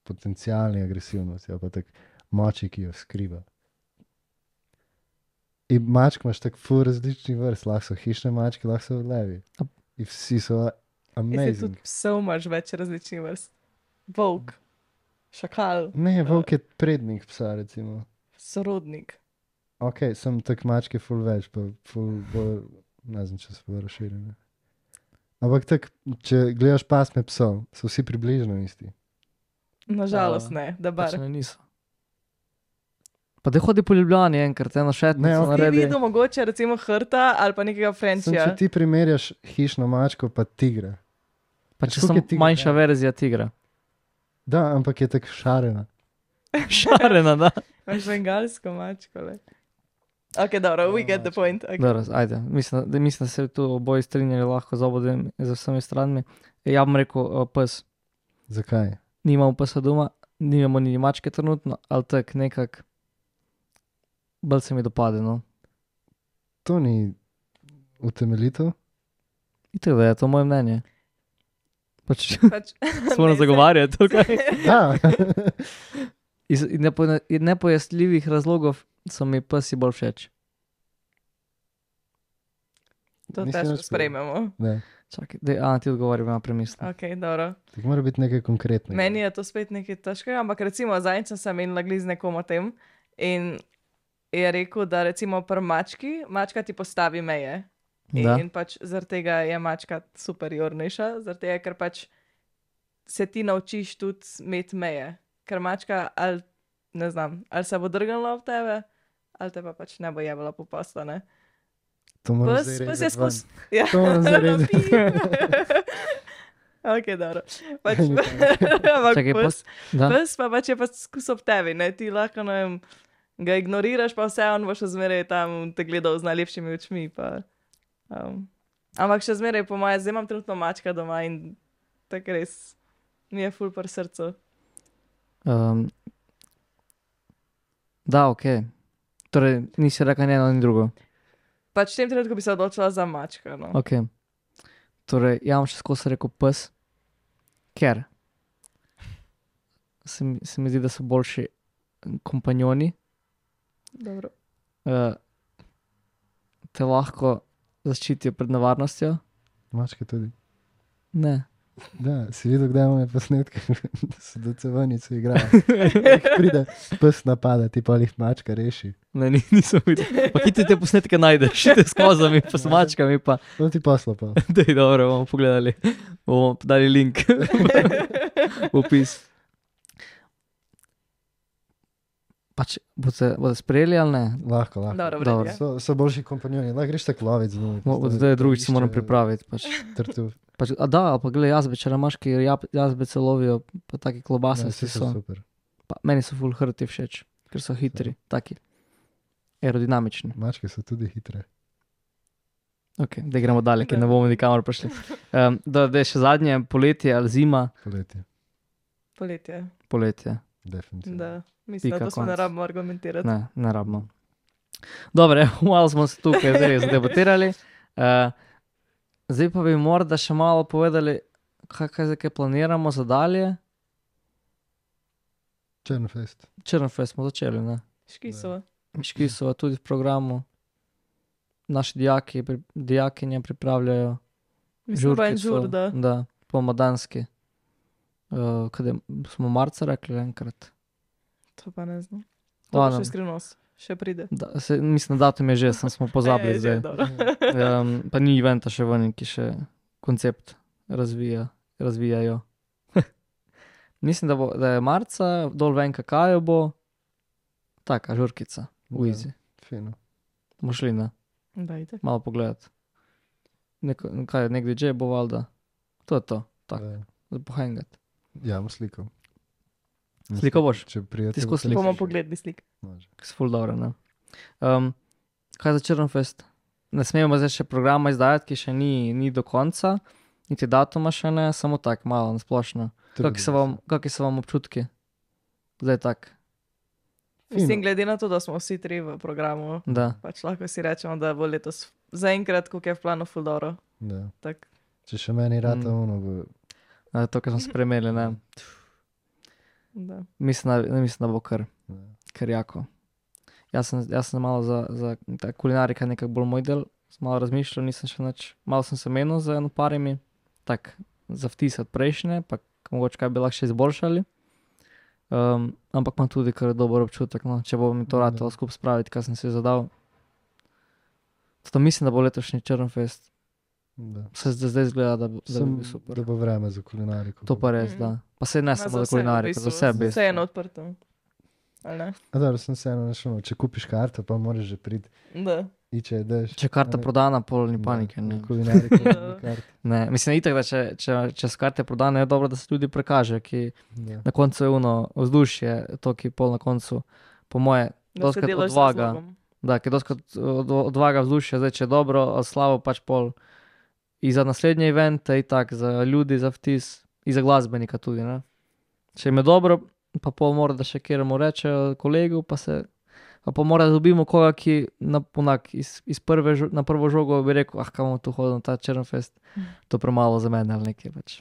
[SPEAKER 2] potencialni agresivnosti, ali pa tako moči, ki jo skriva. In mačk imaš tako full različnih vrst, lahko so hišne mačke, lahko so levi. In vsi so
[SPEAKER 3] Jaz
[SPEAKER 2] amazing.
[SPEAKER 3] tudi psov imaš več različnih vrst. Volk, šakal,
[SPEAKER 2] Ne, volk je prednik psa, recimo.
[SPEAKER 3] sorodnik.
[SPEAKER 2] Ok, sem tak mačke full več, pa full bolj, ne znam, če se bo razširjene. Ampak tak, če gledaš pasme psov, so vsi približno isti.
[SPEAKER 3] Nažalost ne, da bar.
[SPEAKER 1] Pač ne niso. Pa da hodi po Ljubljani enkrat, eno
[SPEAKER 2] Ne,
[SPEAKER 1] šetnico
[SPEAKER 2] ok.
[SPEAKER 3] Ti
[SPEAKER 1] naredi.
[SPEAKER 3] videl mogoče recimo hrta ali pa nekega
[SPEAKER 2] Sem,
[SPEAKER 3] frenčija.
[SPEAKER 2] če ti primerjaš hišno mačko pa tigra.
[SPEAKER 1] Pa če
[SPEAKER 2] koliko
[SPEAKER 1] sem
[SPEAKER 2] je tigra?
[SPEAKER 1] manjša verzija tigra.
[SPEAKER 2] Da, ampak je tako šarena.
[SPEAKER 1] Šarena, da.
[SPEAKER 3] Imaš bengalsko mačko, le. Ok, dobro, we get the point. Okay.
[SPEAKER 1] Dobro, ajde. Mislim, da se tu oboji strinjali lahko z obodem, z vsemi stranmi. Ja bom rekel pes.
[SPEAKER 2] Zakaj?
[SPEAKER 1] Nimamo psa doma, nimamo ni mačke trenutno, ali tak nekak bolj se mi dopade, no.
[SPEAKER 2] To ni utemeljitev.
[SPEAKER 1] Itak da je to moje mnenje. Pač
[SPEAKER 3] Pač,
[SPEAKER 1] se moram
[SPEAKER 3] ne,
[SPEAKER 1] zagovarjati tukaj.
[SPEAKER 2] Da.
[SPEAKER 1] Iz nepojasljivih razlogov so mi psi bolj všeč.
[SPEAKER 3] To
[SPEAKER 2] Nisi
[SPEAKER 3] težko
[SPEAKER 2] nič
[SPEAKER 3] sprejmemo.
[SPEAKER 2] Ne.
[SPEAKER 1] Čakaj, ti odgovori, ima premisli.
[SPEAKER 3] Ok, dobro.
[SPEAKER 2] Tako mora biti nekaj konkretnega.
[SPEAKER 3] Meni je to spet nekaj težkega, ampak recimo zadnjič sem imela glih z nekom o tem in je rekel, da recimo pri mački, mačka ti postavi meje.
[SPEAKER 1] Da.
[SPEAKER 3] In pač zaradi tega je mačka superiornejša, zaradi tega, ker pač se ti naučiš tudi imeti meje. Ker mačka ali, ne znam, ali se bo drgnila ob tebe, ali te pa pač ne bo jebala po posla, ne.
[SPEAKER 2] To moram
[SPEAKER 3] Pes,
[SPEAKER 2] zdaj
[SPEAKER 3] pes je
[SPEAKER 2] rezati ven.
[SPEAKER 3] skus... Ja.
[SPEAKER 2] To moram zdaj rezati.
[SPEAKER 3] Ok, dobro. Pač, ampak
[SPEAKER 1] Čakaj, da.
[SPEAKER 3] pes pa pač je pa skus ob tebi, ne, ti lahko, ne vem, ga ignoriraš, pa vse on bo še zmeraj tam te gledal z najlepšimi očmi, pa... ampak še zmeraj po moje, zdaj imam trenutno mačka doma in tako res mi je ful pri srcu.
[SPEAKER 1] Da, ok. Torej, nisi rekla ni eno ni drugo.
[SPEAKER 3] Pač v tem trenutku bi se odločila za mačka, no.
[SPEAKER 1] Ok. Torej, ja bom še skozi rekel pes, ker se mi zdi, da so boljši kompanjoni.
[SPEAKER 3] Dobro.
[SPEAKER 1] Te lahko zaščitijo pred nevarnostjo.
[SPEAKER 2] Mačke tudi.
[SPEAKER 1] Ne.
[SPEAKER 2] Da, si videl, kdaj imamo posnetke, da se do cevanice igrajo. Pride pes napada, ti pa jih mačka reši.
[SPEAKER 1] Ne, nisem videl. Pa kje ti te posnetke najdeš? Te s kozami, pa s mačkami, pa...
[SPEAKER 2] To ti posla pa.
[SPEAKER 1] Dej, dobro, bomo pogledali. Bomo dali link v opis. Pač, boste sprejeli ali ne?
[SPEAKER 2] Lahko.
[SPEAKER 3] Dobro,
[SPEAKER 1] Dobro.
[SPEAKER 3] vredno.
[SPEAKER 2] So boljši kompanjoni. Lahko greš tako loviti z njimi.
[SPEAKER 1] Zdaj drugič se moram pripraviti. Pač. Pač, a da, ali pa gledaj jazbe, če imaš, ki jazbece lovijo, pa taki klobase
[SPEAKER 2] Vsi
[SPEAKER 1] so.
[SPEAKER 2] super.
[SPEAKER 1] Pa, meni so full hrti všeč, ker so hitri, taki. Aerodinamični.
[SPEAKER 2] Mačke so tudi hitre.
[SPEAKER 1] Ok, da gremo dalje, ker ne bomo nikamor prišli. Da je še zadnje, poletje ali zima.
[SPEAKER 2] Poletje.
[SPEAKER 3] Poletje.
[SPEAKER 1] Poletje.
[SPEAKER 2] Definitivno.
[SPEAKER 3] Da, mislim,
[SPEAKER 1] Pika,
[SPEAKER 3] da to smo ne
[SPEAKER 1] konec.
[SPEAKER 3] rabimo argumentirati.
[SPEAKER 1] Ne rabimo. Dobre, malo smo se tukaj zdaj zadebatirali. Zdaj pa bi morda še malo povedali, kaj planiramo za dalje.
[SPEAKER 2] Črnfest.
[SPEAKER 1] Črnfest smo začeli, ne?
[SPEAKER 3] Škisova.
[SPEAKER 1] Škisova tudi v programu. Naši dijakinje pripravljajo
[SPEAKER 3] Mislim, pa en
[SPEAKER 1] žurkico.
[SPEAKER 3] žur, da.
[SPEAKER 1] Da, pomodanski. Kaj smo marca rekli enkrat.
[SPEAKER 3] To pa ne znam. To pa
[SPEAKER 1] Ladno.
[SPEAKER 3] še skrivnost. Še pride.
[SPEAKER 1] Mislim, datum je že, smo pozabili
[SPEAKER 3] Že,
[SPEAKER 1] zdaj.
[SPEAKER 3] dobro.
[SPEAKER 1] Pa ni eventa še ven, ki še koncept razvijajo. Mislim, da je marca, dol ven kakajo bo, taka žurkica, v
[SPEAKER 2] Ja.
[SPEAKER 1] Easy.
[SPEAKER 2] Fino.
[SPEAKER 1] Bomo šli, ne?
[SPEAKER 3] Dajte.
[SPEAKER 1] Malo pogledati. Kaj, nek DJ bo valjda. To je to, tako,
[SPEAKER 2] Da.
[SPEAKER 1] za pohengati.
[SPEAKER 2] Ja, bom slikal.
[SPEAKER 1] Sliko boš?
[SPEAKER 2] Če prijete.
[SPEAKER 1] Ti skozi slikaš?
[SPEAKER 3] Bomo pogledali slik.
[SPEAKER 1] Ki so ful dobro, ne? Kaj za Črnfest? Ne smemo zdaj še programa izdajati, ki še ni do konca, niti datuma še ne, samo tako malo nasplošno. Kakšni so vam občutki? Zdaj tak,
[SPEAKER 3] Mislim, glede na to, da smo vsi tri v programu,
[SPEAKER 1] da.
[SPEAKER 3] pač lahko si rečemo, da bo letos zaenkrat, koliko je v planu ful dobro.
[SPEAKER 2] Da.
[SPEAKER 3] Tak.
[SPEAKER 2] Če še meni rata ono, bo...
[SPEAKER 1] To, kar smo spremeli, ne.
[SPEAKER 3] Da.
[SPEAKER 1] Mislim, da bo kar jako. Jaz sem malo za ta kulinarika nekako bolj moj del, sem malo razmišljal, nisem še nič, malo sem se menil z eno parimi, tak, za vtisati prejšnje, pa mogoče kaj bi lahko še izboljšali. Ampak imam tudi kar dober občutek, no, če bo mi to ratalo skupaj spraviti, kaj sem si zadal. Zato mislim, da bo letošnji Črnfest. Se zdaj izgleda, da bi bil super.
[SPEAKER 2] Da bo vreme za kulinariko.
[SPEAKER 1] To pa res, da. Pa se ne samo za kulinariko, za vse
[SPEAKER 3] Vse je na odprtem. Ali ne?
[SPEAKER 2] A dobro, sem se eno našel, če kupiš karto, pa moraš že priti.
[SPEAKER 3] Da.
[SPEAKER 2] Če ideš.
[SPEAKER 1] Če je karta prodana, pol ni panike, ne.
[SPEAKER 2] Kulinariko, karte.
[SPEAKER 1] Ne, mislim, itak, da če so karte prodane, je dobro, da se ljudi prekaže, ki na koncu je vzdušje, to, ki pol na koncu, po moje,
[SPEAKER 3] Da se
[SPEAKER 1] doskrat
[SPEAKER 3] delaš z
[SPEAKER 1] odvaga.
[SPEAKER 3] razlogom.
[SPEAKER 1] Da, ki doskrat odvaga vzdušje, zdaj če je dobro, ali slabo, pač pol in za naslednje evente, in tak, za ljudi, za vtis, in za glasbenika tudi, ne. Če jim je dobro, pa pol mora, da še kjeremu rečejo kolegu, pa pol mora, da dobimo koga, ki iz na prvo žogo bi rekel, kaj bomo tu hodili na ta Črnfest, to premalo za mene ali nekaj pač.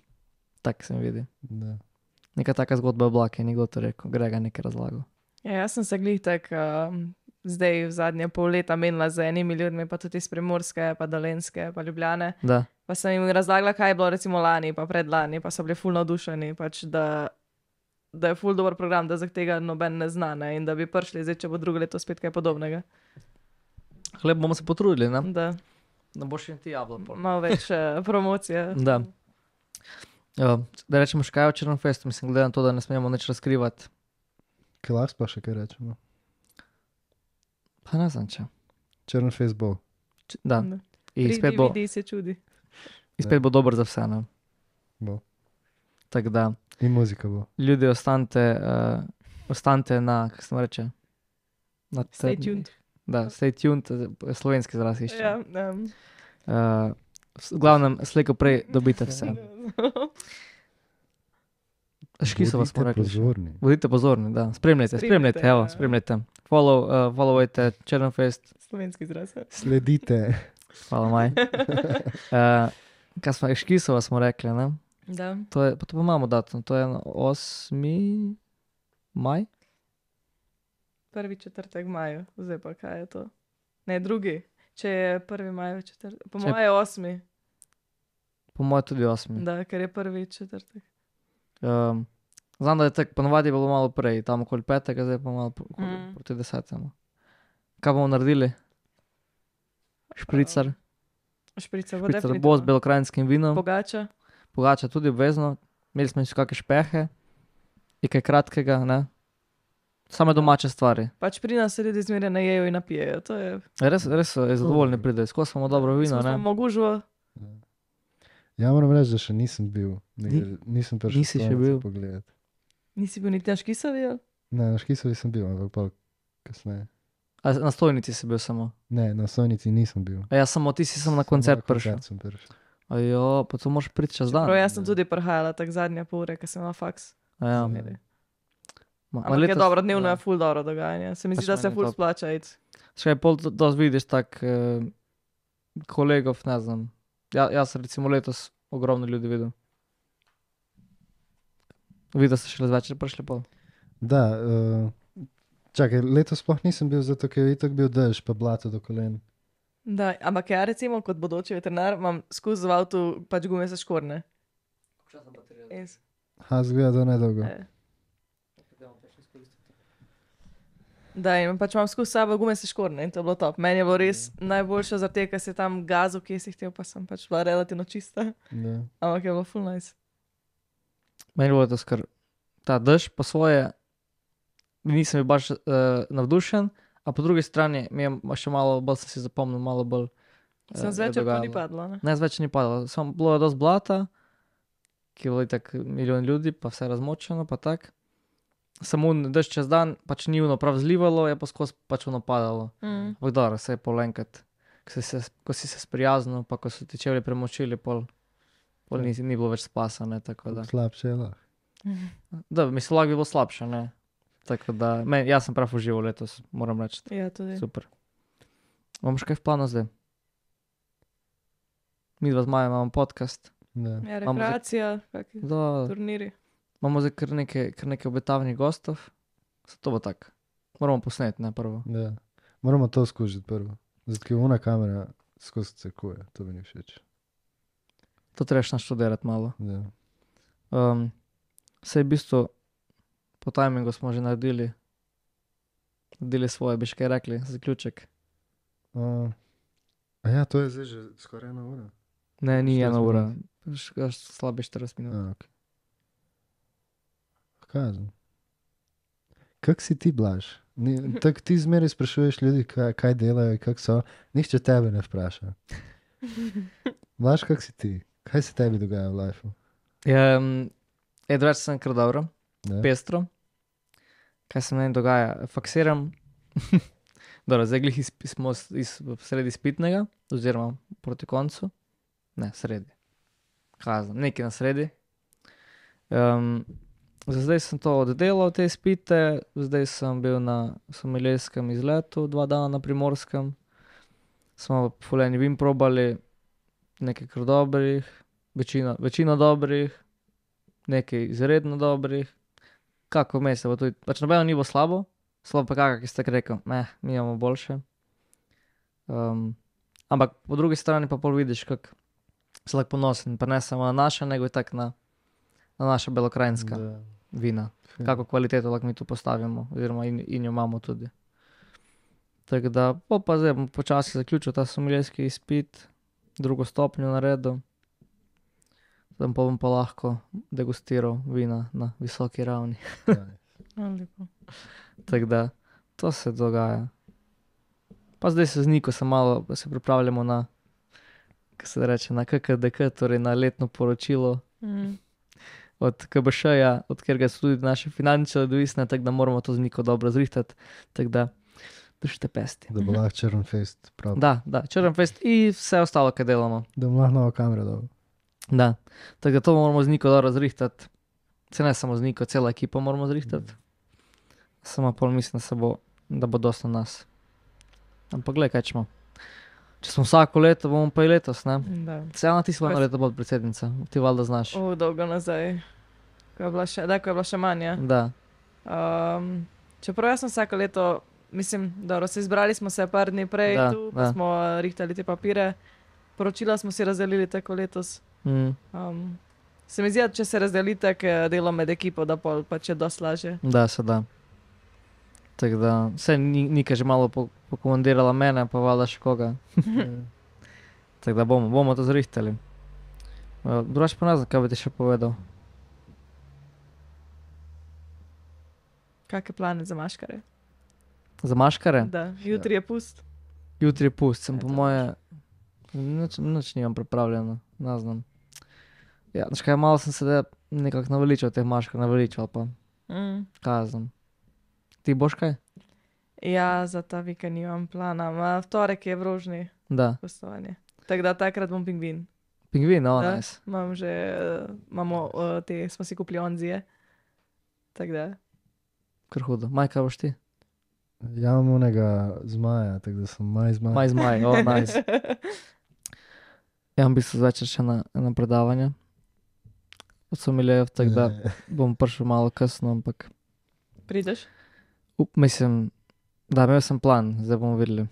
[SPEAKER 1] Tak se mi vidi.
[SPEAKER 2] Da.
[SPEAKER 1] Neka taka zgodba je bila, ki je nekdo to rekel, Grega nekaj razlagal.
[SPEAKER 3] Ja, jaz sem se glih zdaj v zadnje pol leta menila z enimi ljudmi, pa tudi iz Primorske, pa Dolenjske, pa Ljubljane.
[SPEAKER 1] Da.
[SPEAKER 3] Pa sem jim razlagala, kaj je bilo recimo lani, pa predlani, pa so bili ful navdušeni, pač da je ful dober program, da za tega noben ne zna, ne, in da bi prišli zdaj, če bo drugo leto spet kaj podobnega.
[SPEAKER 1] Hleb bomo se potrudili, ne?
[SPEAKER 3] Da
[SPEAKER 1] boš in ti jabla pol.
[SPEAKER 3] malo več promocije.
[SPEAKER 1] Da. Da rečemo še kaj o Črnfestu, mislim, glede na to, da ne smemo nič razkrivati.
[SPEAKER 2] Kaj lahko pa še kaj rečemo?
[SPEAKER 1] Pa ne znam, če.
[SPEAKER 2] Črnfest bo.
[SPEAKER 1] Da.
[SPEAKER 3] Da.
[SPEAKER 1] In spet bo,
[SPEAKER 3] Vidi se čudi.
[SPEAKER 1] spet bo dober za vse, ne?
[SPEAKER 2] Bo.
[SPEAKER 1] Tako da,
[SPEAKER 2] In muzika bo.
[SPEAKER 1] ljudi ostanite na, kako se mu reče?
[SPEAKER 3] Stay tuned.
[SPEAKER 1] Da, stay tuned, slovenski izraz išče.
[SPEAKER 3] Ja,
[SPEAKER 1] V glavnem, slejko prej dobite vse. Škiso vas smo rekli.
[SPEAKER 2] Pozorni.
[SPEAKER 1] Bodite pozorni, da. Spremljajte, evo, spremljajte. Followajte Črnfest.
[SPEAKER 3] Slovenski izraz.
[SPEAKER 2] Sledite.
[SPEAKER 1] Hvala, Maj. Kaj smo, Škisova smo rekli, ne?
[SPEAKER 3] Da.
[SPEAKER 1] Pa to pa imamo datum, to je 8. maj?
[SPEAKER 3] 1. 4. maju, zdaj pa kaj je to? Ne, 2. Če je 1. maj, 4. Po
[SPEAKER 1] Če-
[SPEAKER 3] moje je 8.
[SPEAKER 1] Po mojem tudi 8.
[SPEAKER 3] Da, ker je 1. 4.
[SPEAKER 1] Znam, da je tako, ponovadi je bilo malo prej, tam okoli 5, zdaj pa malo
[SPEAKER 3] Mm.
[SPEAKER 1] proti 10. Kaj bomo naredili? Špricar,
[SPEAKER 3] Šprica bo
[SPEAKER 1] špricar
[SPEAKER 3] definitivno.
[SPEAKER 1] bo z belokrajinskim vinom,
[SPEAKER 3] Pogača.
[SPEAKER 1] pogača tudi obvezno, imeli smo še kakšne špehe, in kaj kratkega, ne? Same domače stvari.
[SPEAKER 3] Pač pri nas se ljudje zmeraj najejo in napijejo, to je...
[SPEAKER 1] Res so zadovoljni pridejo, skozi imamo dobro vino,
[SPEAKER 3] Smo
[SPEAKER 1] ne?
[SPEAKER 3] mogužvo.
[SPEAKER 2] Ja, moram reči, da še nisem bil. Nisem prišel
[SPEAKER 1] Nisi še bil?
[SPEAKER 2] pogledati.
[SPEAKER 3] Nisi bil niti na Škisovi, ali?
[SPEAKER 2] Ne, na Škisovi sem bil, ampak pa kasneje.
[SPEAKER 1] A na stojnici si bil samo?
[SPEAKER 2] Ne, na Sojnici nisem bil.
[SPEAKER 1] A ja, samo ti si samo na koncert prišel.
[SPEAKER 2] Koncert sem prišel.
[SPEAKER 1] Ajo, pa to moraš priti čez dan.
[SPEAKER 3] Prav, jaz sem tudi prihajala tak zadnja pol ure, ker sem imela faks.
[SPEAKER 1] A ja.
[SPEAKER 3] Zmeraj.
[SPEAKER 1] Ma
[SPEAKER 3] Ampak je
[SPEAKER 1] letos-
[SPEAKER 3] dobro, dnevno
[SPEAKER 1] ja.
[SPEAKER 3] je ful dobro dogajanje. Se mi
[SPEAKER 1] Pač
[SPEAKER 3] zdi, da se
[SPEAKER 1] meni je
[SPEAKER 3] ful
[SPEAKER 1] top.
[SPEAKER 3] splača iti.
[SPEAKER 1] Še pol dosti vidiš tak kolegov, ne znam. Jaz sem recimo letos ogromno ljudi videl. Videl ste šele zvečer prišli pol.
[SPEAKER 2] Da, čakaj, letos sploh nisem bil, zato ker je itak bil dež pa blato do kolen.
[SPEAKER 3] Da, ampak ja, recimo kot bodoči veterinar imam skozi v avtu pač gume za škorne. Res.
[SPEAKER 2] Ha, zgleda, da nedolgo.
[SPEAKER 3] Da, in pač imam skozi sabo gume za škorne in to je bilo top. Meni je bilo res najboljše zaradi tega, ker si tam gazu, ki si hotel, pa sem pač bila relativno čista.
[SPEAKER 2] Ja.
[SPEAKER 3] Ampak je bilo full nice.
[SPEAKER 1] Meni bo to skar ta dež po svoje, nisem bil baš navdušen, a po drugi strani mi je še malo bolj sem si zapomnil, malo bolj
[SPEAKER 3] Sem
[SPEAKER 1] je
[SPEAKER 3] zvečer pa ni
[SPEAKER 1] dogajalo.
[SPEAKER 3] padlo, ne?
[SPEAKER 1] Ne, zvečer ni padalo, samo bilo je dosti blata, ki je bilo itak milijon ljudi, pa vse razmočeno, pa tak. Samo dež čez dan, pač ni ono prav zlivalo, je pa skozi pač ono padalo.
[SPEAKER 3] Mm.
[SPEAKER 1] Ampak dobro, se je pol enkrat, ko si se sprijaznil, pa ko so ti čevlji premočili, pol ni bilo več spasa, ne, tako da.
[SPEAKER 2] Slabše je lahko.
[SPEAKER 1] Da, mislim, lahko bi bilo slabše, ne. Tako da, jaz sem prav užival letos, moram reči.
[SPEAKER 3] Ja, tudi.
[SPEAKER 1] Super. Imamo še kaj v planu zdaj? Mi dva z Majo imamo podcast.
[SPEAKER 2] Da.
[SPEAKER 3] Ja,
[SPEAKER 1] Imamo
[SPEAKER 3] rekreacija, kakšni
[SPEAKER 1] Da,
[SPEAKER 3] turniri.
[SPEAKER 1] imamo zdaj kar nekaj obetavnih gostov. To bo tako. Moramo posneti, ne, prvo.
[SPEAKER 2] Ja. Moramo to skužiti prvo. Zato, ker ona kamera skozi cekuje, to mi ni všeč.
[SPEAKER 1] To trebaš naštudirati malo.
[SPEAKER 2] Ja.
[SPEAKER 1] Saj v bistvu po timingu smo že naredili svoje, bi še kaj rekli, zaključek.
[SPEAKER 2] A ja, to je zdaj že skoraj 1 ura.
[SPEAKER 1] Ne, ni
[SPEAKER 2] 40
[SPEAKER 1] 1 ura,
[SPEAKER 2] minut.
[SPEAKER 1] slabe 40 minut.
[SPEAKER 2] Okay. Kažem. Kak si ti, Blaž? Tako ti zmeraj sprašuješ ljudi, kaj delajo, kak so. Nihče tebe ne vpraša. Blaž, kak si ti? Kaj se tebi dogaja v lifeu?
[SPEAKER 1] Drugače sem kar dobro,
[SPEAKER 2] Ne?
[SPEAKER 1] pestro. Kaj se meni dogaja? Faksiram. Dobro, zdaj glih smo sredi izpitnega, oziroma proti koncu. Ne, sredi. Kaj znam, nekaj na sredi. Za zdaj sem to oddelal, te izpite, zdaj sem bil na somiljejskem izletu 2 dana na Primorskem. Smo ful eni vin probali, nekaj kar dobrih, večino dobrih, nekaj izredno dobrih. Kako vmes je bo tudi, pač nobeno ni bo slabo, slabo pa kakak, ki ste rekel, mi imamo boljše. Ampak po drugi strani pa pol vidiš, kako si lahko ponosen, pa ne samo na naša, nego je tak na naša belokrajinska vina. Kako kvaliteto lahko mi tu postavimo, oziroma in jo imamo tudi. Tako da, pa zdaj bom počasi zaključil ta somiljejski izpit, 2. stopnjo naredil. Tam pa bom pa lahko degustiral vina na visoki ravni.
[SPEAKER 3] Lepo.
[SPEAKER 1] Tako da, to se dogaja. Pa zdaj se z Niko malo se pripravljamo na, kako se reče, na KKDK, torej na letno poročilo od KBŠ-ja, od katerega so tudi naše finančne odvisne, tako da moramo to z Niko dobro zrihtati. Tako da, držite pesti.
[SPEAKER 2] Da bo lahko Črnfest prav.
[SPEAKER 1] Da, Črnfest in vse ostalo, kaj delamo.
[SPEAKER 2] Da bo lahko nova kamera dobro.
[SPEAKER 1] Da, tako da to moramo z Niko dobro zrihtati. Se ne samo z Niko, cela ekipa moramo zrihtati. Samo pol mislim, da bo dosti na nas. Ampak glej, kaj ćemo. Če smo vsako leto, bomo pa i letos, ne?
[SPEAKER 3] Da.
[SPEAKER 1] Cela ti si bila leto bod predsednica, ti valjda znaš.
[SPEAKER 3] Dolgo nazaj. Ko je bila še manja.
[SPEAKER 1] Da.
[SPEAKER 3] Čeprav jaz sem vsako leto, mislim, dobro, izbrali smo se par dni prej pa smo rihtali te papire. Poročila smo si razdelili tako letos. Se mi zdi, če se razdeli tako delo med ekipo, da pol pa če dosti lažje.
[SPEAKER 1] Da, se da. Tako da, vse Nika že malo pokomandirala mene, pa valjda še koga. Tako da bomo to zrihtali. Drugače pa ne znam, kaj bi ti še povedal.
[SPEAKER 3] Kakšne plane za maškare?
[SPEAKER 1] Za maškare?
[SPEAKER 3] Da, jutri je pust.
[SPEAKER 1] Jutri je pust, sem po moje, nič nimam pripravljeno, ne znam. Ja, znaš kaj, malo sem se nekako naveličal teh maškar, pa kaj znam. Ti boš kaj?
[SPEAKER 3] Ja, za ta vikend nimam plana, v torek je v Rožni gostovanje. Tako da takrat bom pingvin.
[SPEAKER 1] Pingvin, nice.
[SPEAKER 3] Imam že, smo si kupili onzije. Tako da.
[SPEAKER 1] Kar hudo. Maj, kaj boš ti?
[SPEAKER 2] Ja, imam onega zmaja, tako da sem maj zmaj.
[SPEAKER 1] Maj zmaj, nice. Ja, v bistvu zvečer še na predavanje. Od somiljev, tako da bom prišel malo kasno, ampak...
[SPEAKER 3] Prideš?
[SPEAKER 1] Mislim, da imel sem plan, zdaj bomo videli.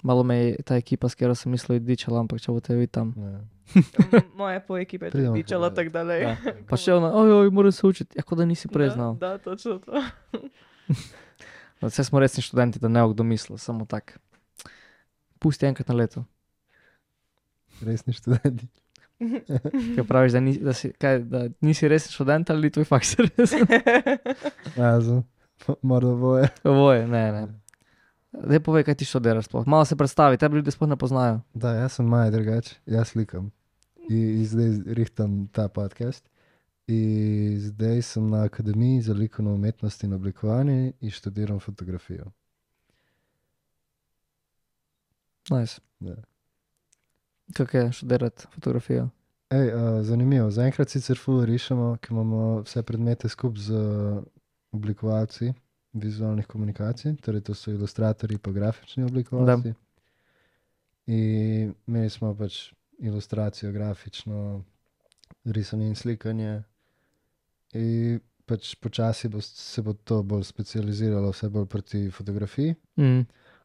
[SPEAKER 1] Malo me je ta ekipa, s katero sem mislil dičala, ampak če bo te videti tam.
[SPEAKER 3] Moje po ekipe je dičala, tako da lej.
[SPEAKER 1] Pa še ona, ojoj, moram se učiti. Ja, kot da nisi prej znal.
[SPEAKER 3] Da, točno to.
[SPEAKER 1] Vse smo resni študenti, da ne bo kdo mislil, samo tak. Pusti enkrat na leto.
[SPEAKER 2] Resni študenti.
[SPEAKER 1] Kaj praviš, da nisi resni študent ali tvoj faks resen?
[SPEAKER 2] Morda oboje.
[SPEAKER 1] Oboje, ne. Daj povej, kaj ti študiraš sploh. Malo se predstavi, tebi ljudje sploh ne poznajo.
[SPEAKER 2] Da, jaz sem Maja drugače, jaz slikam. In zdaj rihtam ta podcast. In zdaj sem na Akademiji za likovno umetnost in oblikovanje in študiram fotografijo.
[SPEAKER 1] Nice.
[SPEAKER 2] Ja.
[SPEAKER 1] Kako je študirati fotografijo?
[SPEAKER 2] Zanimivo. Zaenkrat sicer ful rišemo, ker imamo vse predmete skupaj z oblikovalci vizualnih komunikacij, torej to so ilustratorji pa grafični oblikovalci. In imeli smo pač ilustracijo, grafično, risanje in slikanje. In pač počasi se bo to bolj specializiralo, vse bolj proti fotografiji.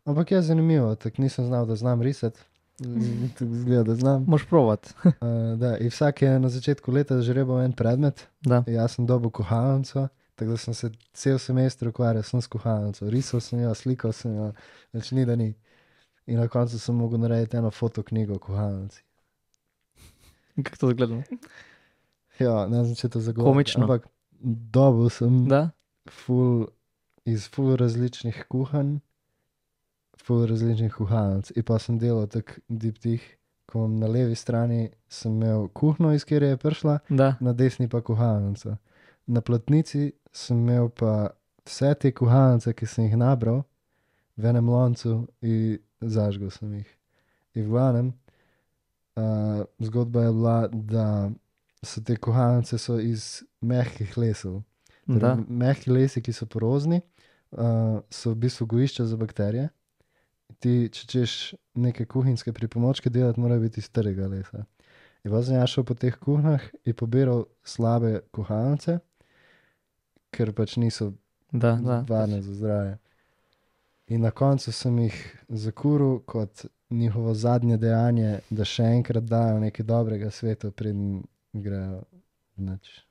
[SPEAKER 2] Ampak je zanimivo, tako nisem znal, da znam risati. Tako zgleda, da znam.
[SPEAKER 1] Moš provat.
[SPEAKER 2] Da, in vsak je na začetku leta žrebal en predmet.
[SPEAKER 1] Da.
[SPEAKER 2] Jaz sem dobil kuhalnico, tako da sem se cel semester ukvarjal sem s kuhalnico. Risal sem jo, slikal sem jo, več ni da ni. In na koncu sem mogel narediti eno fotoknjigo o kuhalnici.
[SPEAKER 1] Kako to zgleda?
[SPEAKER 2] Ja, ne znam, če to zagovarjati.
[SPEAKER 1] Komično.
[SPEAKER 2] Ampak dobil sem iz ful različnih kuhanj, ful različnih kuhalnic. In pa sem delal tak diptih, ko na levi strani sem imel kuhno, iz kjer je prišla, na desni pa kuhalnico. Na platnici sem imel pa vse te kuhalnice, ki sem jih nabral, v enem loncu in zažgal sem jih. In v glavnem, zgodba je bila, da so te kuhalnice so iz mehkih lesov.
[SPEAKER 1] Da.
[SPEAKER 2] Mehki lesi, ki so porozni, so v bistvu gojišča za bakterije. Ti, če češ neke kuhinjske pripomočke delati, morajo biti iz trega lesa. In pa sem jaz šel po teh kuhnah in pobiral slabe kuhalnice, ker pač niso
[SPEAKER 1] Da.
[SPEAKER 2] varne za zdravje. In na koncu sem jih zakuril kot njihovo zadnje dejanje, da še enkrat dajo nekaj dobrega svetu, preden grejo nič.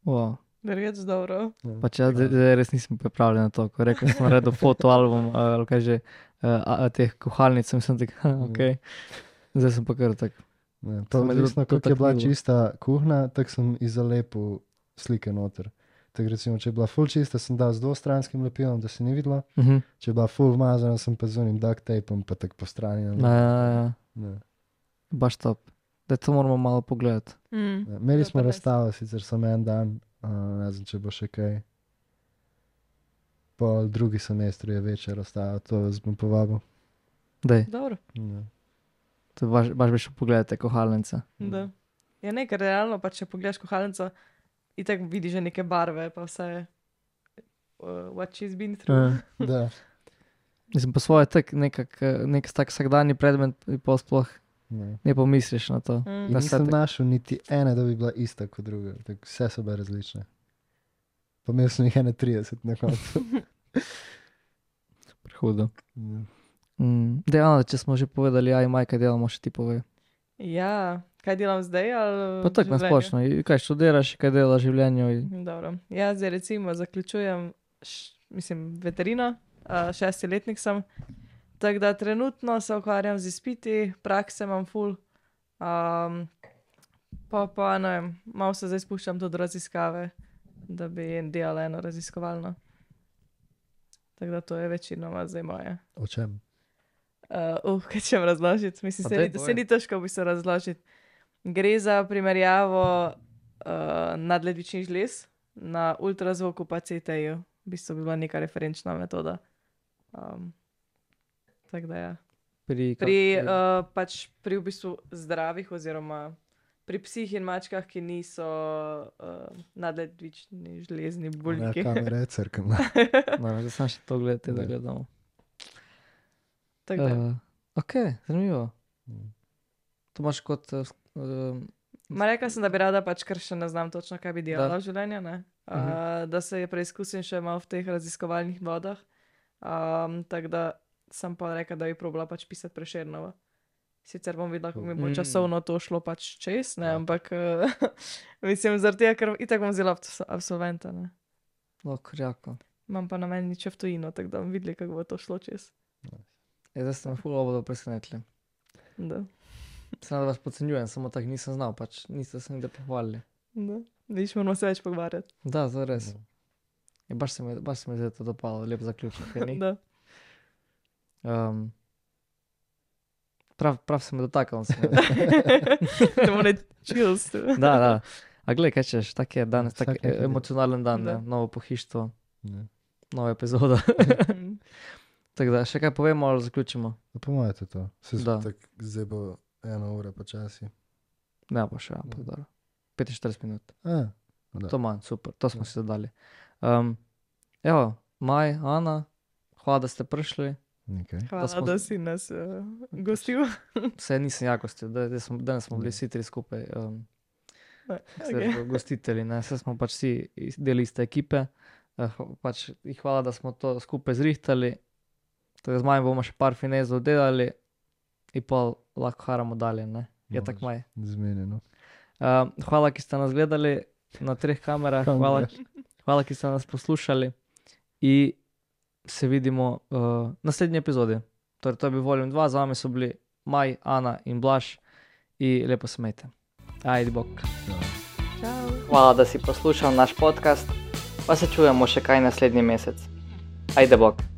[SPEAKER 1] Wow.
[SPEAKER 3] Verjetno dobro.
[SPEAKER 1] Pač jaz res nisem pripravljen na to, ko rekel sem naredil fotoalbum ali kaj že teh kuhalnic, sem tak, ok. Zdaj sem pa kar tak.
[SPEAKER 2] Ja, pa
[SPEAKER 1] Se me je
[SPEAKER 2] odvisno, kako je bila
[SPEAKER 1] dotaknilo.
[SPEAKER 2] čista kuhna, tako sem izalepil slike noter. Tako recimo, če je bila ful čista, sem dal z dvostranskim lepilom, da se ni videlo. Če je bila ful umazana, sem pa z unim duct tapom pa tako po strani.
[SPEAKER 1] Ja.
[SPEAKER 2] Ja.
[SPEAKER 1] Baš top. Da to moramo malo pogledati.
[SPEAKER 2] Ja, imeli
[SPEAKER 3] To
[SPEAKER 2] smo
[SPEAKER 3] pa res.
[SPEAKER 2] razstavo, sicer samo en dan, ne vem, če bo še kaj. Pol drugi semestr je večja razstava, to vas bom povabil.
[SPEAKER 1] Dej,
[SPEAKER 3] Dobro.
[SPEAKER 2] Ja.
[SPEAKER 1] to baš bi šel pogledati te kuhalnice.
[SPEAKER 3] Da. Ja, nekaj realno, pa če pogledaš kuhalnico, itak vidiš že neke barve, pa vse, what she's been through.
[SPEAKER 2] Da.
[SPEAKER 1] Mislim pa svoje tak nek tak vsakdanji predmet in pol sploh
[SPEAKER 2] Ja.
[SPEAKER 1] ne pomisliš na to.
[SPEAKER 2] In
[SPEAKER 1] Da
[SPEAKER 2] nisem
[SPEAKER 1] se
[SPEAKER 2] našel niti ene, da bi bila ista kot druga. Tako vse so bile različne. Pa imel sem jih 31 na koncu.
[SPEAKER 1] Prehudo.
[SPEAKER 2] Ja.
[SPEAKER 1] Dej, Ana, če smo že povedali, ja, Maj, kaj delamo, še ti povej.
[SPEAKER 3] Ja, kaj delam zdaj? Ali
[SPEAKER 1] Pa tako
[SPEAKER 3] v življenju?
[SPEAKER 1] nasplošno, kaj študiraš, kaj delaš v življenju.
[SPEAKER 3] Dobro. Ja, zdaj recimo zaključujem, veterino, 6. letnik sem. Tako da trenutno se ukvarjam z izpiti, prakse imam ful. Pa ne vem, malo se zdaj spuščam tudi v raziskave, da bi delala eno raziskovalno. Tako da to je večinoma zdaj moje.
[SPEAKER 2] O čem?
[SPEAKER 3] Kaj ćem razložiti? Mislim,
[SPEAKER 1] Pa daj,
[SPEAKER 3] se ni težko v bistvu razložiti. Gre za primerjavo nadledvičnih žlez na ultrazvoku pa CT-ju. V bistvu bi bila neka referenčna metoda. Tako da ja. Pač pri v bistvu zdravih oziroma pri psih in mačkah, ki niso nadledvični žlezni
[SPEAKER 2] Ja,
[SPEAKER 3] buljki.
[SPEAKER 2] kamera je crkvena.
[SPEAKER 1] Zdaj sem še to gledati, da
[SPEAKER 2] Da.
[SPEAKER 1] gledamo.
[SPEAKER 3] Tako da.
[SPEAKER 1] Ok, zanimivo.
[SPEAKER 2] Mm.
[SPEAKER 1] To imaš kot
[SPEAKER 3] Ma rekla sem, da bi rada pač, ker še ne znam točno, kaj bi delala
[SPEAKER 1] Da.
[SPEAKER 3] v življenju, ne? Da se preizkusim še malo v teh raziskovalnih vodah. Tako da sem pa rekla, da bi probala pač pisati Prešernovo. Sicer bom videla, kako mi bo časovno to šlo pač čez, ne, ampak mislim, zaradi tega, ker itak bom vzela absolventa, ne.
[SPEAKER 1] Krjako.
[SPEAKER 3] Imam pa namen nič v tujino, tako da bom videla, kako bo to šlo čez.
[SPEAKER 1] Zdaj ste me ful obodo presenetili.
[SPEAKER 3] Da.
[SPEAKER 1] Sem da vas podcenjujem, samo tako nisem znal, pač niste se nikdar pohvalili.
[SPEAKER 3] Da. Vidiš, moramo se več pogovarjati.
[SPEAKER 1] Da, to je res. Ja, baš se mi zdaj to dopalo, lep zaključek, kaj ni?
[SPEAKER 3] Da.
[SPEAKER 1] Prav se me dotakal.
[SPEAKER 3] Da bomo ne chills.
[SPEAKER 1] Da. A glej, kaj češ, tak je danes, tak
[SPEAKER 2] Vsak nekaj
[SPEAKER 1] emocionalen dan, ne?
[SPEAKER 3] Da.
[SPEAKER 1] Novo pohištvo,
[SPEAKER 2] Ja.
[SPEAKER 1] nova epizoda. Tako da, še kaj povemo ali zaključimo?
[SPEAKER 2] Po mojem je to.
[SPEAKER 1] Da.
[SPEAKER 2] Zdaj bo 1 ura počasi.
[SPEAKER 1] Ne bo še, ampak dobro. 45 minut.
[SPEAKER 2] Da.
[SPEAKER 1] To manj, super, to smo si zadali. Evo, Maj, Ana, hvala, da ste prišli.
[SPEAKER 2] Nekaj.
[SPEAKER 3] Hvala, da si nas gostil.
[SPEAKER 1] Vse nisem ja gostil, danes smo bili vsi tri skupaj. Gostitelji, ne, vse smo pač vsi del iste ekipe. Pač hvala, da smo to skupaj zrihtali. Tako z Majem bomo še par finezov delali in pa lahko haramo dalje, ne? Je tako, Maj?
[SPEAKER 2] Zmenjeno.
[SPEAKER 1] Hvala, ki ste nas gledali na 3 kamerah, hvala, ki ste nas poslušali in se vidimo v naslednji epizodi. Torej, to je bil Volume 2, z vami so bili Maj, Ana in Blaž in lepo se imejte. Ajde, bok.
[SPEAKER 3] Čau.
[SPEAKER 1] Hvala, da si poslušal naš podcast, pa se čujemo še kaj naslednji mesec. Ajde, bok.